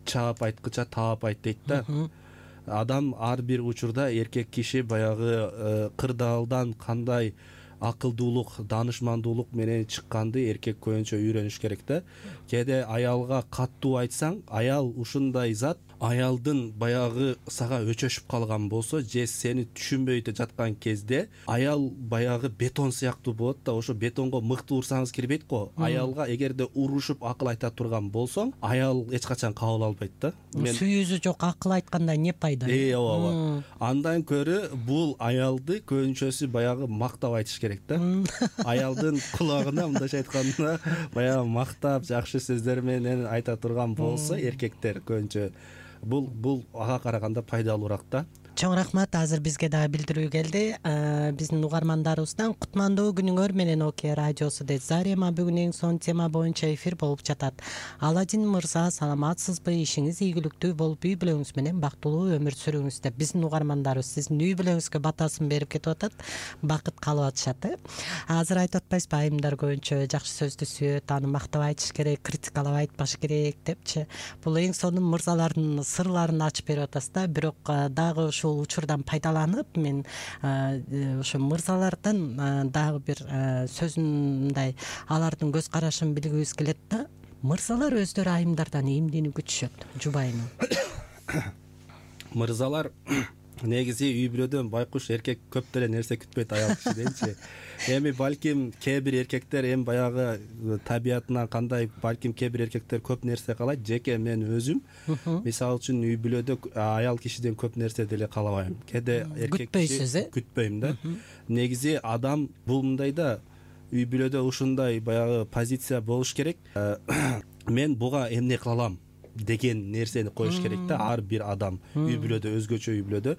Speaker 3: чаап айткыча таап айт дейт да. Адам ар бир учурда эркек киши баягы кырдаалдан кандай акылдуулук, даанышмандуулук менен чыкканды эркек көбүнчө үйрөнүш керек да. Кээде аялга каттуу айтсаң, аял ушундай зат, аялдын баягы сага өчөшүп калган болсо же сени түшүнбөй жаткан кезде аял баягы бетон сыяктуу болот да. Ошо бетонго мыкты урсаңыз кирбейт го. Аялга эгерде урушуп акыл айта турган болсоң, аял эч качан кабыл албайт да.
Speaker 2: Сүйүүсү жок акыл айтканда эмне пайда?
Speaker 3: Ооба. Андан көрө бул аялды көбүнчөсү баягы мактап айтыш керек да. Аялдын кулагына мындайча айтканда баягы мактап, жакшы сөздөр менен айта турган болсо эркектер көбүнчө бул ага караганда пайдалуураак да.
Speaker 2: Чоң рахмат. Азыр бизге дагы билдирүү келди. Биздин угармандарыбыздан кутмандуу күнүңөр менен Окея радиосу деп Зарема бүгүн эң сонун тема боюнча эфир болуп жатат. Аладин мырза, саламатсызбы? Ишиңиз ийгиликтүү болуп, үй бүлөңүз менен бактылуу өмүр сүрүңүз деп биздин угармандарыбыз сиздин үй бүлөңүзгө батасын берип кетип атат. Бакыт калып атышат. Азыр айтып атпайсызбы, айымдар көбүнчө жакшы сөздү сүйөт, аны мактап айтыш керек, критикалап айтпаш керек депчи. Бул эң сонун мырзалардын сырларын ачып берип атасыз да. Бирок дагы ушул учурдан пайдаланып мен ошо мырзалардан дагы бир сөзүндай алардын көз карашын билгибиз келет да. Мырзалар өздөрү айымдардан эмнени күтүшөт, жубайыны?
Speaker 3: Мырзалар негизи үй бүлөдөн байкуш эркек көп деле нерсе күтпөйт аял кишиденчи. Эми балким кээ бир эркектер эми баягы табиятынан кандай, балким кээ бир эркектер көп нерсе каалайт. Жеке мен өзүм мисалы үчүн үй бүлөдө аял кишиден көп нерсе деле каалабайм. Кээде эркек киши күтпөйм да. Негизи адам бул мындай да, үй бүлөдө ушундай баягы позиция болуш керек. Мен буга эмне кыла алам деген нерсени коюш керек да. Ар бир адам үй бүлөдө, өзгөчө үй бүлөдө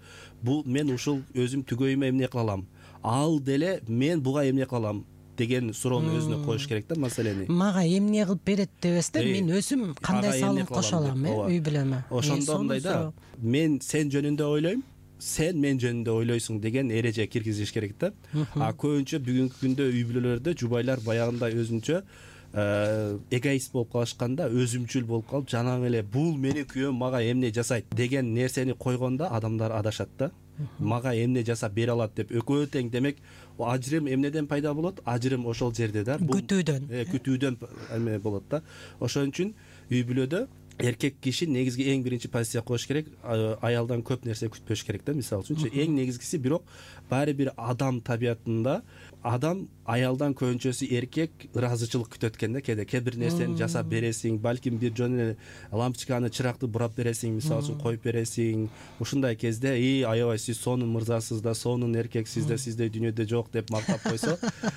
Speaker 3: бул мен ушул өзүм түгөйүмө эмне кыла алам, ал деле мен буга эмне кыла алам деген суроону өзүнө коюш керек да. Маселени
Speaker 2: мага эмне кылып берет дебес да, мен өзүм кандай салым кошо алам үй бүлөмө.
Speaker 3: Ошондо мындай да, мен сен жөнүндө ойлойм, сен мен жөнүндө ойлойсуң деген эреже киргизиш керек да. Көбүнчө бүгүнкү күндө үй бүлөлөрдө жубайлар баягындай өзүнчө эгоист болуп калышканда, өзүмчүл болуп калып, жанагы эле бул менин күйөөм мага эмне жасайт деген нерсени койгондо адамдар адашат да. Мага эмне жасап бере алат деп экөө тең. Демек ажырым эмнеден пайда болот? Ажырым ошол жерде да. Күтүүдөн эме болот да. Ошон үчүн үй бүлөдө эркек киши негизги эң биринчи позиция коюш керек, аялдан көп нерсе күтпөш керек да. Мисалы үчүн эң негизгиси, бирок баары бир адам табиятында адам аялдан көбүнчөсү эркек ыраазычылык күтөт экен да. Кээ бир нерсени жасап бересиң, балким бир жөн эле лампочканы, чыракты бурап бересиң, мисалы үчүн коюп бересиң. Ушундай кезде аябай сиз сонун мырзасыз да, сонун эркексиз да, сизде дүйнөдө жок деп мактап койсо,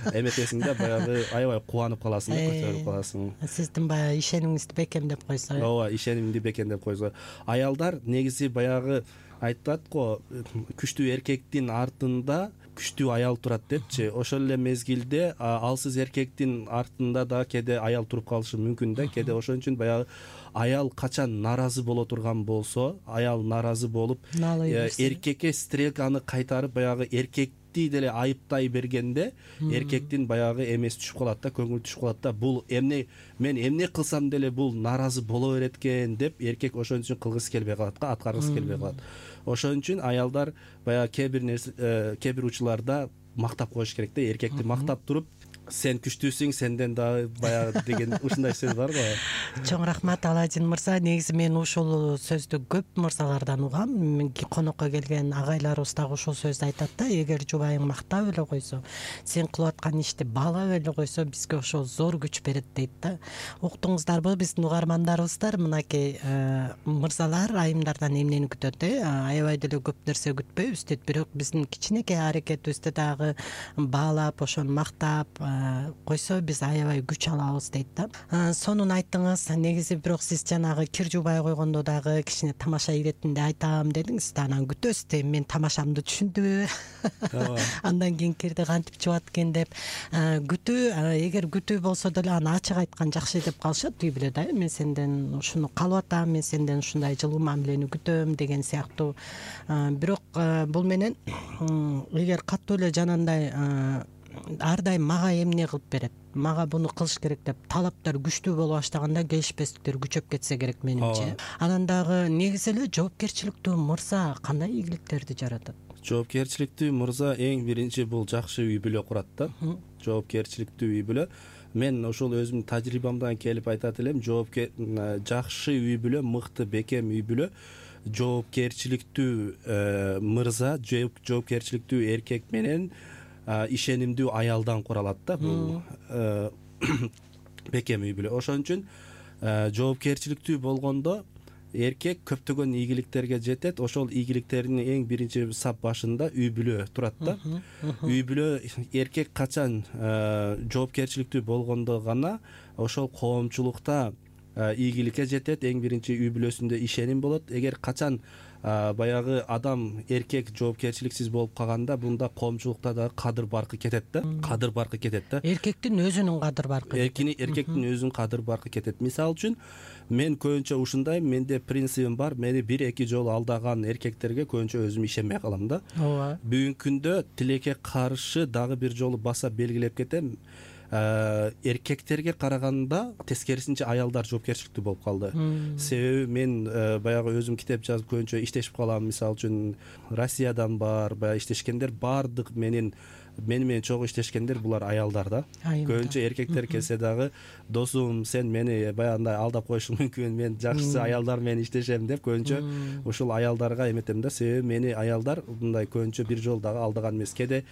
Speaker 3: эметесиң да, баягы аябай кубанып каласың да, көтөрүлүп каласың.
Speaker 2: Сиздин баягы ишенимиңизди бекемдеп койсо.
Speaker 3: Ооба, ишенимди бекемдеп койсо. Аялдар негизи баягы айтат го, күчтүү эркектин артында күчтүү аял турат депчи. Ошол эле мезгилде алсыз эркектин артында да кээде аял туруп калышы мүмкүн да. Кээде ошон үчүн баягы аял качан наразы боло турган болсо, аял наразы болуп эркекке стрелканы кайтарып баягы эркекти деле айыптай бергенде, эркектин баягы эмеси түшүп калат да, көңүлү түшүп калат да. Бул мен эмне кылсам деле бул наразы боло берет экен деп эркек ошон үчүн кылгысы келбей калат да, аткаргысы келбей калат. Ошон үчүн аялдар баягы кээ бир учурларда мактап коюш керек да, эркекти мактап туруп, сен күчтүүсүң, сенден дагы баягы деген ушундай сөз барбы?
Speaker 2: Чоң рахмат Аладин мырза. Негизи мен ушул сөздү көп мырзалардан угам. Конокко келген агайларыбыз дагы ушул сөздү айтат да, эгер жубайың мактап эле койсо, сен кылып аткан ишти баалап эле койсо, бизге ошол зор күч берет дейт да. Уктуңуздарбы, биздин угармандарыбыздар, мынакей мырзалар айымдардан эмнени күтөт? Аябай деле көп нерсе күтпөйбүз дейт, бирок биздин кичинекей аракетибизди дагы баалап, ошону мактап койсо, биз аябай күч алабыз дейт да. Сонун айттыңыз. Негизи бирок сиз жанагы кир жубай койгондо дагы кичине тамаша иретинде айтам дедиңиз да, анан күтөсүз да, мен тамашамды түшүндүбү, андан кийин кирди кантип жубат экен деп. Күтүү, эгер күтүү болсо деле аны ачык айткан жакшы деп калышат үй бүлө да. Мен сенден ушуну каалап атам, мен сенден ушундай жылуу мамилени күтөм деген сыяктуу. Бирок бул менен эгер катуу эле жанагындай ар дайым мага эмне кылып берет, мага буну кылыш керек деп талаптар күчтүү боло баштаганда келишпестиктер күчөп кетсе керек менимче. Анан дагы негизи эле жоопкерчиликтүү мырза кандай ийгиликтерди жаратат?
Speaker 3: Жоопкерчиликтүү мырза эң биринчи бул жакшы үй бүлө курат да. Жоопкерчиликтүү үй бүлө. Мен ошол өзүмдүн тажрыйбамдан келип айтат элем, жакшы үй бүлө, мыкты бекем үй бүлө, жоопкерчиликтүү мырза, жоопкерчиликтүү эркек менен ишенимдүү аялдан куралат да. Бул бекем үй бүлө. Ошон үчүн жоопкерчиликтүү болгондо эркек көптөгөн ийгиликтерге жетет. Ошол ийгиликтердин эң биринчи сап башында үй бүлө турат да. Үй бүлө, эркек качан жоопкерчиликтүү болгондо гана ошол коомчулукта ийгиликке жетет. Эң биринчи үй бүлөсүндө ишеним болот. Эгер качан баягы адам, эркек жоопкерчиликсиз болуп калганда, бунда коомчулукта дагы кадыр баркы кетет да. Кадыр баркы кетет да.
Speaker 2: Эркектин өзүнүн кадыр баркы.
Speaker 3: Эркектин өзүнүн кадыр баркы кетет. Мисалы үчүн, мен көбүнчө ушундай, менде принцибим бар. Мени 1-2 жолу алдаган эркектерге көбүнчө өзүм ишенбей калам да.
Speaker 2: Ооба.
Speaker 3: Бүгүнкү күндө тилекке каршы дагы бир жолу баса белгилеп кетем. Эркектерге караганда тескерисинче аялдар жоопкерчиликтүү болуп калды. Себеби мен баягы өзүм китеп жазып көбүнчө иштешип калам. Мисалы үчүн Россиядан бар, баягы иштешкендер бардык мени менен чогуу иштешкендер булар аялдар да. Көбүнчө эркектер келсе дагы, досум, сен мени баягындай алдап коюшуң мүмкүн, мен жакшы аялдар менен иштешем деп көбүнчө ушул аялдарга эметем да. Себеби мени аялдар мындай көбүнчө бир жолу дагы алдаган эмес. Кээде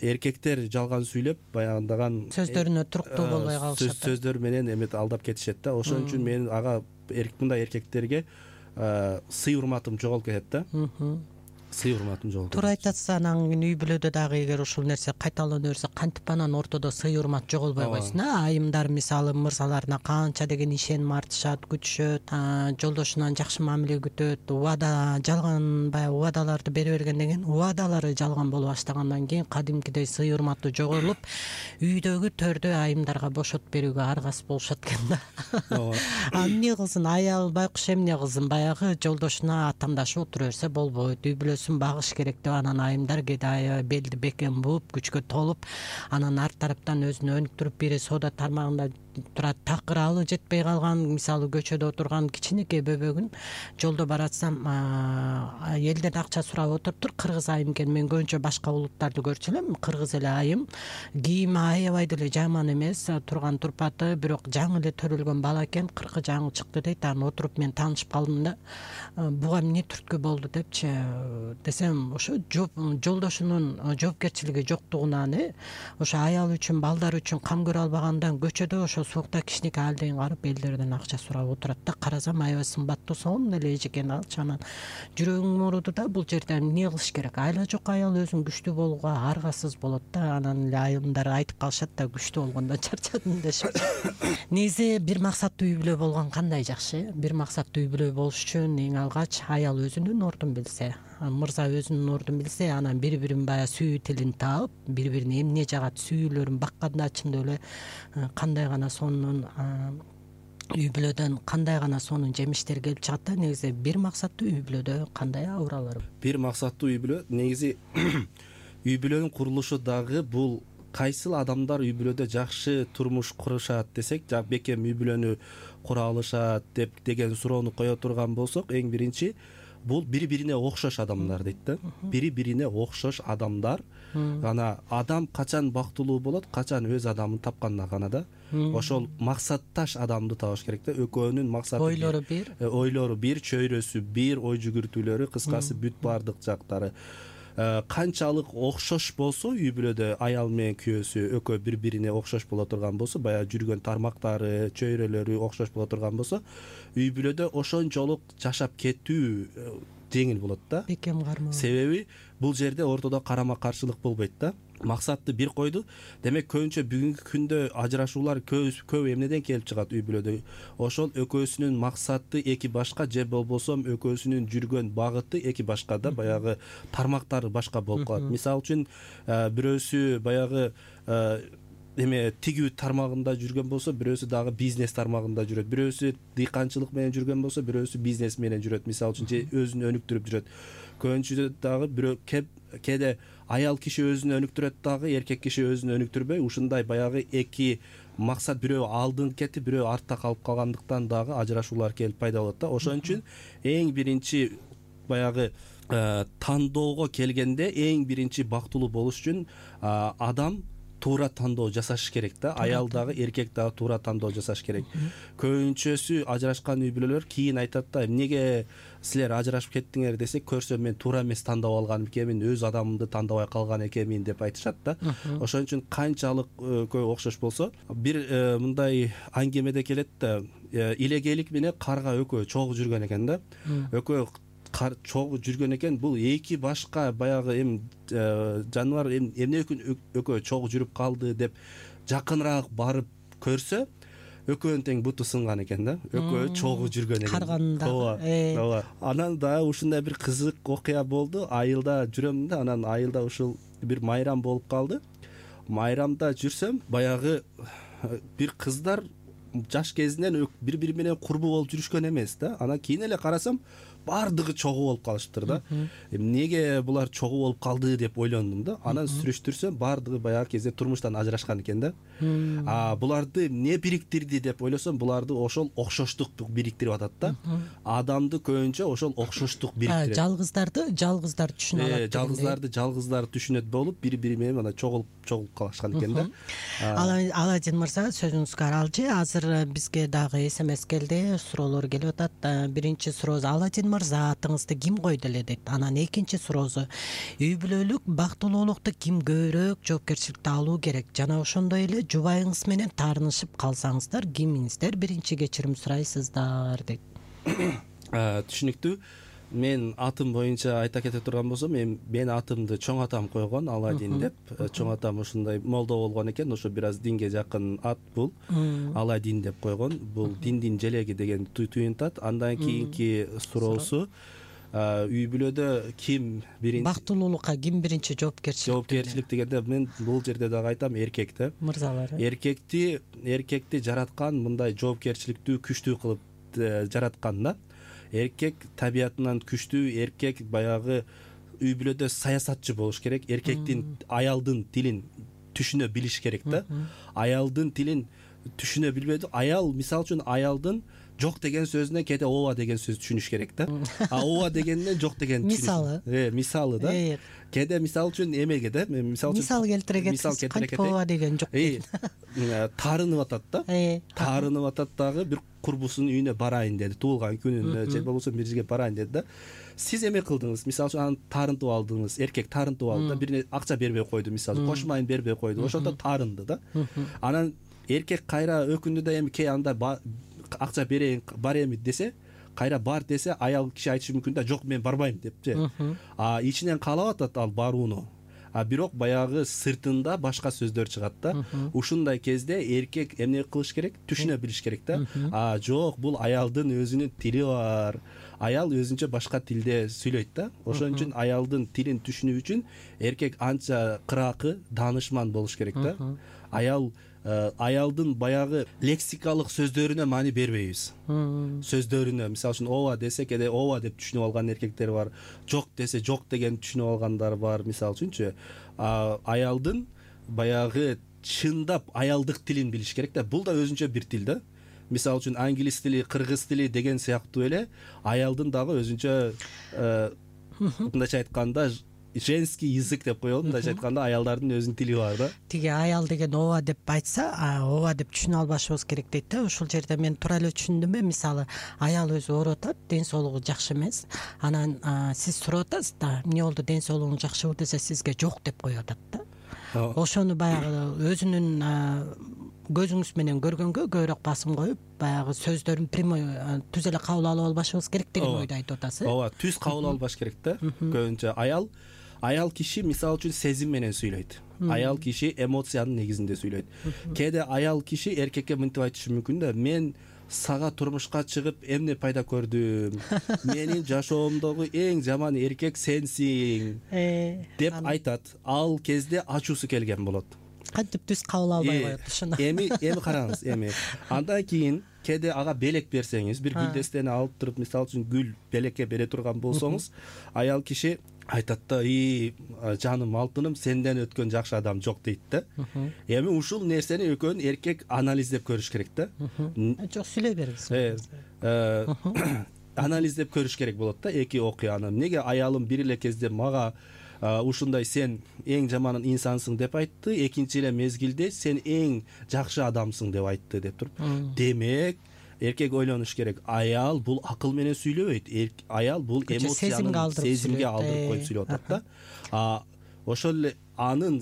Speaker 3: эркектер жалган сүйлөп, баягындаган
Speaker 2: сөздөрүнө туруктуу болбой калышат.
Speaker 3: Сөздөр менен алдап кетишет да. Ошон үчүн мен мындай эркектерге сый урматым жоголуп кетет да. Сый урматым жоголуп кетет.
Speaker 2: Туура айтасыз. Анан үй бүлөдө дагы эгер ушул нерсе кайталана берсе, кантип анан ортодо сый урмат жоголбой койсун. Айымдар мисалы мырзаларына канча деген ишеним артышат, күтүшөт, жолдошунан жакшы мамиле күтөт, убада, жалган баягы убадаларды бере бергенден кийин убадалары жалган боло баштагандан кийин кадимкидей сый урматы жоголуп, үйдөгү төрдө айымдарга бошотуп берүүгө аргасыз болушат экен да. Эмне кылсын, аял байкуш эмне кылсын, баягы жолдошуна атамдашып отура берсе болбойт. Үй бүлөсүн багыш керек деп анан айымдар кээде белди бекем бууп, күчкө толуп, анан арт тараптан өзүнө өнүктүрүп, бири соода тармагында турат, такыр алы жетпей калган, мисалы көчөдө отурган кичинекей бөбөгүн жолдо баратсам элден акча сурап отуруптур. Кыргыз айым экен, мен көбүнчө башка улуттарды көрчү элем. Кыргыз эле айым, кийими аябай деле жаман эмес, турган турпаты, бирок жаңы эле төрөлгөн бала экен, 40 жаңы чыкты дейт. Анан отуруп мен таанышып калдым да. Буга эмне түрткү болду депчи десем, ошо жолдошунун жоопкерчилиги жоктугунан, ошо аял үчүн, балдар үчүн кам көрө албагандан көчөдө ошо суукта кичинекей алдыйын карып элдерден акча сурап отурат да. Карасам аябай сымбаттуу, сонун эле эжекен алчу. Анан жүрөгүм ооруду да, бул жерде эмне кылыш керек? Айла жок аял өзүн күчтүү болууга аргасыз болот да. Анан эле айымдар айтып калышат да, күчтүү болгондон чарчадым дешип. Негизи бир максаттуу үй бүлө болгон кандай жакшы. Бир максаттуу үй бүлө болуш үчүн эң алгач аял өзүнүн ордун билсе, мырза өзүнүн ордун билсе, анан бири-бирин баягы сүйүү тилин таап, бири-бирине эмне жагат, сүйүүлөрүн бакканда чындап эле кандай гана сонун үй бүлөдөн кандай гана сонун жемиштер келип чыгат да. Негизи бир максаттуу үй бүлөдө кандай абуралар? Бир
Speaker 3: максаттуу үй бүлө, негизи үй бүлөнүн курулушу дагы бул кайсыл адамдар үй бүлөдө жакшы турмуш курушат десек, бекем үй бүлөнү кура алышат деген суроону кое турган болсок, эң биринчи бул бири бирине окшош адамдар дейт да. Бири бирине окшош адамдар гана адам качан бактылуу болот, качан өз адамын тапканда гана да. Ошол максатташ адамды табыш керек да. Экөөнүн максаты ойлору бир, чөйрөсү бир, ой жүгүртүүлөрү, кыскасы бүт баардык жактары канчалык окшош болсо, үй бүлөдө аял менен күйөөсү экөө бири бирине окшош боло турган болсо, баягы жүргөн тармактары, чөйрөлөрү окшош боло турган болсо, үй бүлөдө ошончолук жашап кетүү жеңил болот да.
Speaker 2: Бекем кармоо.
Speaker 3: Себеби бул жерде ортодо карама каршылык болбойт да. Максатты бир койду. Демек көбүнчө бүгүнкү күндө ажырашуулар көп эмнеден келип чыгат үй бүлөдө? Ошол экөөсүнүн максаты эки башка, же болбосо экөөсүнүн жүргөн багыты эки башка да, баягы тармактары башка болуп калат. Мисалы үчүн бирөөсү баягы тигүү тармагында жүргөн болсо, бирөөсү дагы бизнес тармагында жүрөт. Бирөөсү дыйканчылык менен жүргөн болсо, бирөөсү бизнес менен жүрөт. Мисалы үчүн же өзүн өнүктүрүп жүрөт. Көбүнчө дагы бирөө кээде аял киши өзүн өнүктүрөт дагы, эркек киши өзүн өнүктүрбөй, ушундай баягы эки максат, бирөө алдын кетип, бирөө артта калып калгандыктан дагы ажырашуулар келип пайда болот да. Ошон үчүн эң биринчи баягы тандоого келгенде, эң биринчи бактылуу болуш үчүн адам туура тандоо жасаш керек да. Аял дагы, эркек дагы туура тандоо жасаш керек. Көбүнчөсү ажырашкан үй бүлөлөр кийин айтат да, эмнеге силер ажырашып кеттиңер десе, көрсөм мен туура эмес тандап алган экенмин, өз адамымды тандабай калган экенмин деп айтышат да. Ошон үчүн канчалык көп окшош болсо, бир мындай аңгемеде келет да, илегелик менен карга экөө чогуу жүргөн экен да. Экөө чогуу жүргөн экен. Бул эки башка баягы жаныбар эмне үчүн экөө чогуу жүрүп калды деп жакыныраак барып көрсө, экөөнүн тең буту сынган экен да. Экөө чогуу жүргөн экен.
Speaker 2: Карганда.
Speaker 3: Ооба. Анан дагы ушундай бир кызык окуя болду. Айылда жүрөм да, анан айылда ушул бир майрам болуп калды. Майрамда жүрсөм, баягы бир кыздар жаш кезинен бири менен курбу болуп жүрүшкөн эмес да. Анан кийин эле карасам, баардыгы чогуу болуп калыштыр да. Эмнеге булар чогуу болуп калды деп ойлондум да. Анан сүрүштүрсөм, баардыгы баягы кезде турмуштан ажырашкан экен да. Буларды эмне бириктирди деп ойлосом, буларды ошол окшоштук бириктирип атат да. Адамды көбүнчө ошол окшоштук бириктирет.
Speaker 2: Жалгыздар түшүнө алат.
Speaker 3: Жалгыздар түшүнөт болуп, бири менен мына чогулуп калышкан экен да.
Speaker 2: Аладин мырза, сөзүңүзгө аралчы. Азыр бизге дагы СМС келди, суроолор келип атат. Биринчи суроосу: Аладин мырза, атыңызды ким койду эле дейт. Анан экинчи суроосу: үй бүлөлүк бактылуулукту ким көбүрөөк жоопкерчиликти алуу керек? Жана ошондой эле жубайыңыз менен таарынышып калсаңыздар кимиңиздер биринчи кечирим сурайсыздар дейт.
Speaker 3: Түшүнүктүү. Мен атым боюнча айта кете турган болсом, мен атымды чоң атам койгон, Аладин деп. Чоң атам ушундай молдо болгон экен, ошо бир аз динге жакын ат бул. Аладин деп койгон. Бул диндин желеги деген туюнтат. Андан кийинки суроосу: үй бүлөдө ким биринчи
Speaker 2: бактылуулукка ким биринчи жоопкерчилик
Speaker 3: дегенде, мен бул жерде дагы айтам, эркек да.
Speaker 2: Мырзалар.
Speaker 3: Эркекти жараткан мындай жоопкерчиликтүү, күчтүү кылып жараткан да. Эркек табиятынан күчтүү, эркек баягы үй бүлөдө саясатчы болуш керек. Эркектин аялдын тилин түшүнө билиш керек да. Аялдын тилин түшүнө билбеди. Аял, мисалы үчүн, аялдын жок деген сөзүнө кээде ооба деген сөз түшүнүш керек да. Ооба дегенден жок деген
Speaker 2: мисалы.
Speaker 3: Мисалы да. Кээде мисалы үчүн эмеге да,
Speaker 2: мисал келтире кетсеңиз, кантип ооба деген жок.
Speaker 3: Таарынып атат да. Таарынып атат дагы, бир курбусунун үйүнө барайын деди, туулган күнүнө же болбосо бир жерге барайын деди да. Сиз эме кылдыңыз, мисалы үчүн аны таарынтып алдыңыз, эркек таарынтып алды да, бирине акча бербей койду, мисалы, кош майын бербей койду, ошондо таарынды да. Анан эркек кайра өкүндү да, эми анда акча берейин, бар эми десе, кайра бар десе, аял киши айтышы мүмкүн да, жок мен барбайм деп же. Ичинен каалап атат ал барууну. Бирок баягы сыртында башка сөздөр чыгат да. Ушундай кезде эркек эмне кылыш керек? Түшүнө билиш керек да. Жок, бул аялдын өзүнүн тили бар. Аял өзүнчө башка тилде сүйлөйт да. Ошон үчүн аялдын тилин түшүнүү үчүн эркек анча кыракы, даанышман болуш керек да. Аялдын баягы лексикалык сөздөрүнө маани бербейбиз. Сөздөрүнө, мисалы үчүн, ооба десе, кээде ооба деп түшүнүп алган эркектер бар. Жок десе, жок деген түшүнүп алгандар бар, мисалы үчүнчү. Аялдын баягы чындап аялдык тилин билиш керек да. Бул да өзүнчө бир тил да. мисалы үчүн англис тили, кыргыз тили деген сыяктуу эле аялдын дагы өзүнчө мындайча айтканда женский язык деп коелу, мындайча айтканда аялдардын өзүнүн тили бар да.
Speaker 2: Тиги аял деген ооба деп айтса, ооба деп түшүнө албашыбыз керек дейт да. Ушул жерде мен туура эле түшүндүмбү? Мисалы, аял өзү ооруп атат, ден соолугу жакшы эмес. Анан сиз сурап атасыз да, эмне болду, ден соолугуң жакшыбы десе, сизге жок деп коюп атат да. Ошону баягы өзүнүн көзүңүз менен көргөнгө көбүрөөк басым коюп, баягы сөздөрүн прямой түз эле кабыл алып албашыбыз керек деген ойду айтып атасыз.
Speaker 3: Ооба, түз кабыл албаш керек да. Көбүнчө аял киши мисалы үчүн сезим менен сүйлөйт. Аял киши эмоциянын негизинде сүйлөйт. Кээде аял киши эркекке мынтип айтышы мүмкүн да, мен сага турмушка чыгып эмне пайда көрдүм, менин жашоомдогу эң жаман эркек сенсиң деп айтат. Ал кезде ачуусу келген болот.
Speaker 2: Кантип түз кабыл албай коет ушуну.
Speaker 3: Эми караңыз, андан кийин кээде ага белек берсеңиз, бир гүлдестени алып туруп, мисалы үчүн гүл белекке бере турган болсоңуз, аял киши айтат да, жаным, алтыным, сенден өткөн жакшы адам жок дейт да. Эми ушул нерсени экөөнүн эркек анализдеп көрүш керек да.
Speaker 2: Жок, сүйлөй бериңиз.
Speaker 3: Анализдеп көрүш керек болот да эки окуяны. Эмнеге аялым бир эле кезде мага ушундай сен эң жаман инсансың деп айтты, экинчи эле мезгилде сен эң жакшы адамсың деп айтты деп туруп. Демек, эркек ойлонуш керек. Аял бул акыл менен сүйлөбөйт. Аял бул эмоцияны, сезимге алдырып коюп сүйлөп атат да. Ошол эле анын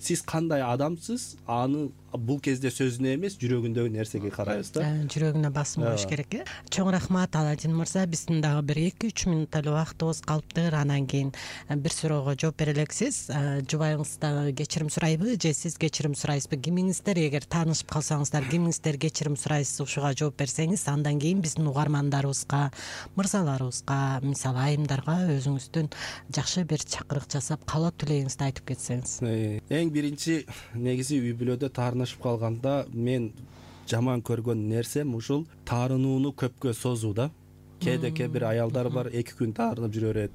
Speaker 3: сиз кандай адамсыз, аны бул кезде сөзүнө эмес, жүрөгүндөгү нерсеге карайбыз да.
Speaker 2: Жүрөгүнө басым коюш керек. Чоң рахмат Аладин мырза. Биздин дагы бир 2-3 мүнөт эле убактыбыз калыптыр. Анан кийин бир суроого жооп бере элексиз. Жубайыңыздан кечирим сурайбы же сиз кечирим сурайсызбы? Кимиңиздер, эгер таанышып калсаңыздар, кимиңиздер кечирим сурайсыз, ушуга жооп берсеңиз, андан кийин биздин угармандарыбызга, мырзаларыбызга, мисалы айымдарга өзүңүздүн жакшы бир чакырык жасап, каалоо тилегиңизди айтып кетсеңиз.
Speaker 3: Эң биринчи негизи үй бүлөдө таарынышып калганда мен жаман көргөн нерсем ушул таарынууну көпкө созуу да. Кээде бир аялдар бар, 2 күн таарынып жүрө берет,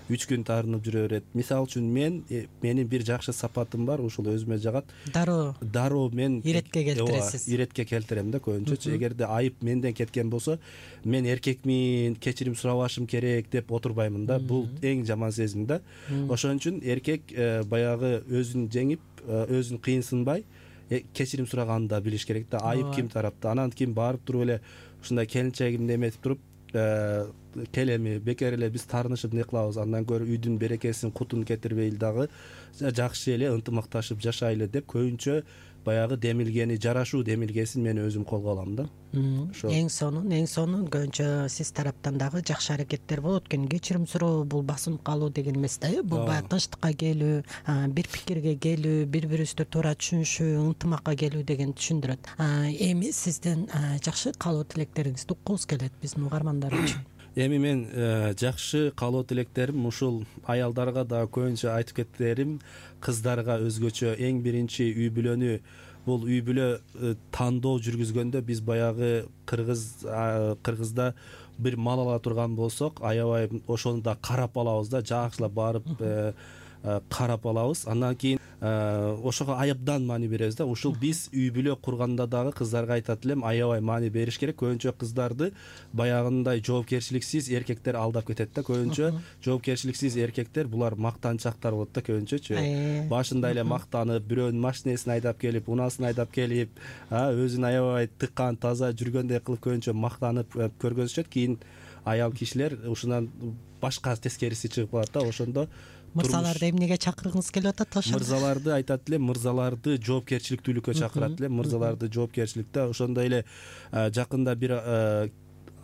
Speaker 3: 3 күн таарынып жүрө берет. Мисалы үчүн менин бир жакшы сапатым бар, ушул өзүмө жагат. Дароо мен
Speaker 2: иретке келтиресиз.
Speaker 3: Иретке келтирем да көбүнчө. Эгерде айып менден кеткен болсо, мен эркекмин, кечирим сурабашым керек деп отурбаймын да. Бул эң жаман сезим да. Ошон үчүн эркек баягы өзүн жеңип, өзүн кыйынсынбай кечирим сураганын да билиш керек да. Айып ким тарапта? Анан кийин барып туруп эле ушундай келинчегимди эметип туруп, келеми бекер эле биз таарынышып эмне кылабыз, андан көрө үйдүн берекесин, кутун кетирбейли дагы жакшы эле ынтымакташып жашайлы деп көбүнчө баягы демилгени, жарашуу демилгесин мен өзүм колго алам да.
Speaker 2: Эң сонун көбүнчө сиз тараптан дагы жакшы аракеттер болот экен. Кечирим суроо бул басынып калуу деген эмес да. Бул баягы тынчтыкка келүү, бир пикирге келүү, бири-бирибизди туура түшүнүшүү, ынтымакка келүү деген түшүндүрөт. Эми сиздин жакшы каалоо тилектериңизди уккубуз келет биздин угармандар үчүн.
Speaker 3: Эми мен жакшы каалоо тилектерим ушул аялдарга да көбүнчө айтып кетерим, кыздарга өзгөчө. Эң биринчи үй бүлө тандоо жүргүзгөндө биз баягы кыргызда бир мал ала турган болсок, аябай ошону да карап алабыз да, жакшылап барып карап алабыз. Андан кийин ошого аябдан маани беребиз да. Ушул биз үй бүлө курганда дагы кыздарга айтат элем, аябай маани бериш керек. Көбүнчө кыздарды баягындай жоопкерчиликсиз эркектер алдап кетет да. Көбүнчө жоопкерчиликсиз эркектер булар мактанчактар болот да көбүнчөчү. Башында эле мактанып, бирөөнүн машинесин айдап келип, унасын айдап келип, өзүн аябай тыккан, таза жүргөндөй кылып көбүнчө мактанып көргөзүшөт. Кийин аял кишилер ушунан башка тескериси чыгып калат да. Ошондо
Speaker 2: мырзаларды эмнеге чакыргыңыз келип атат ошондо? Мырзаларды
Speaker 3: айтат элем, мырзаларды жоопкерчиликтүүлүккө чакырат элем, мырзаларды жоопкерчиликте. Ошондой эле жакында бир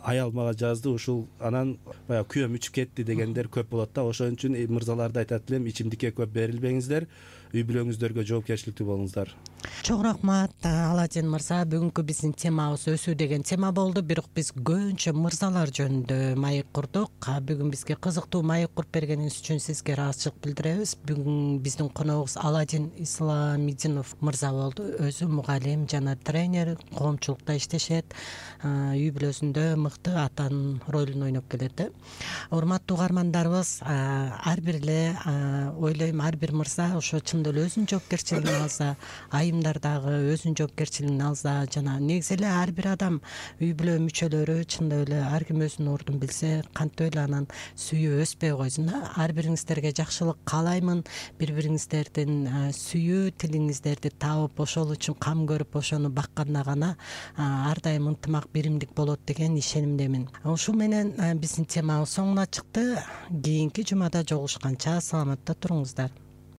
Speaker 3: аял мага жазды, ушул анан баягы күйөөм ичип кетти дегендер көп болот да. Ошон үчүн мырзаларды айтат элем, ичимдикке көп берилбеңиздер, үй бүлөңүздөргө жоопкерчиликтүү болуңуздар.
Speaker 2: Чоң рахмат Аладин мырза. Бүгүнкү биздин темабыз өсүү деген тема болду, бирок биз көбүнчө мырзалар жөнүндө маек курдук. Бүгүн бизге кызыктуу маек куруп бергениңиз үчүн сизге ыраазычылык билдиребиз. Бүгүн биздин коногубуз Аладин Исламидинов мырза болду. Өзү мугалим жана тренер, коомчулукта иштешет, үй бүлөсүндө мыкты атанын ролун ойноп келет. Урматтуу угармандарыбыз, ар бир эле ойлойм ар бир мырза ошо ошондой эле өзүнүн жоопкерчилигин алса, айымдар дагы өзүнүн жоопкерчилигин алса, жана негизи эле ар бир адам, үй бүлө мүчөлөрү чындап эле ар ким өзүнүн ордун билсе, кантип эле анан сүйүү өспөй койсун да. Ар бириңиздерге жакшылык каалаймын. Бири бириңиздердин сүйүү тилиңиздерди таап, ошол үчүн кам көрүп, ошону бакканда гана ар дайым ынтымак, биримдик болот деген ишенимдемин. Ушул менен биздин темабыз соңуна чыкты. Кийинки жумада жолугушканча саламатта туруңуздар.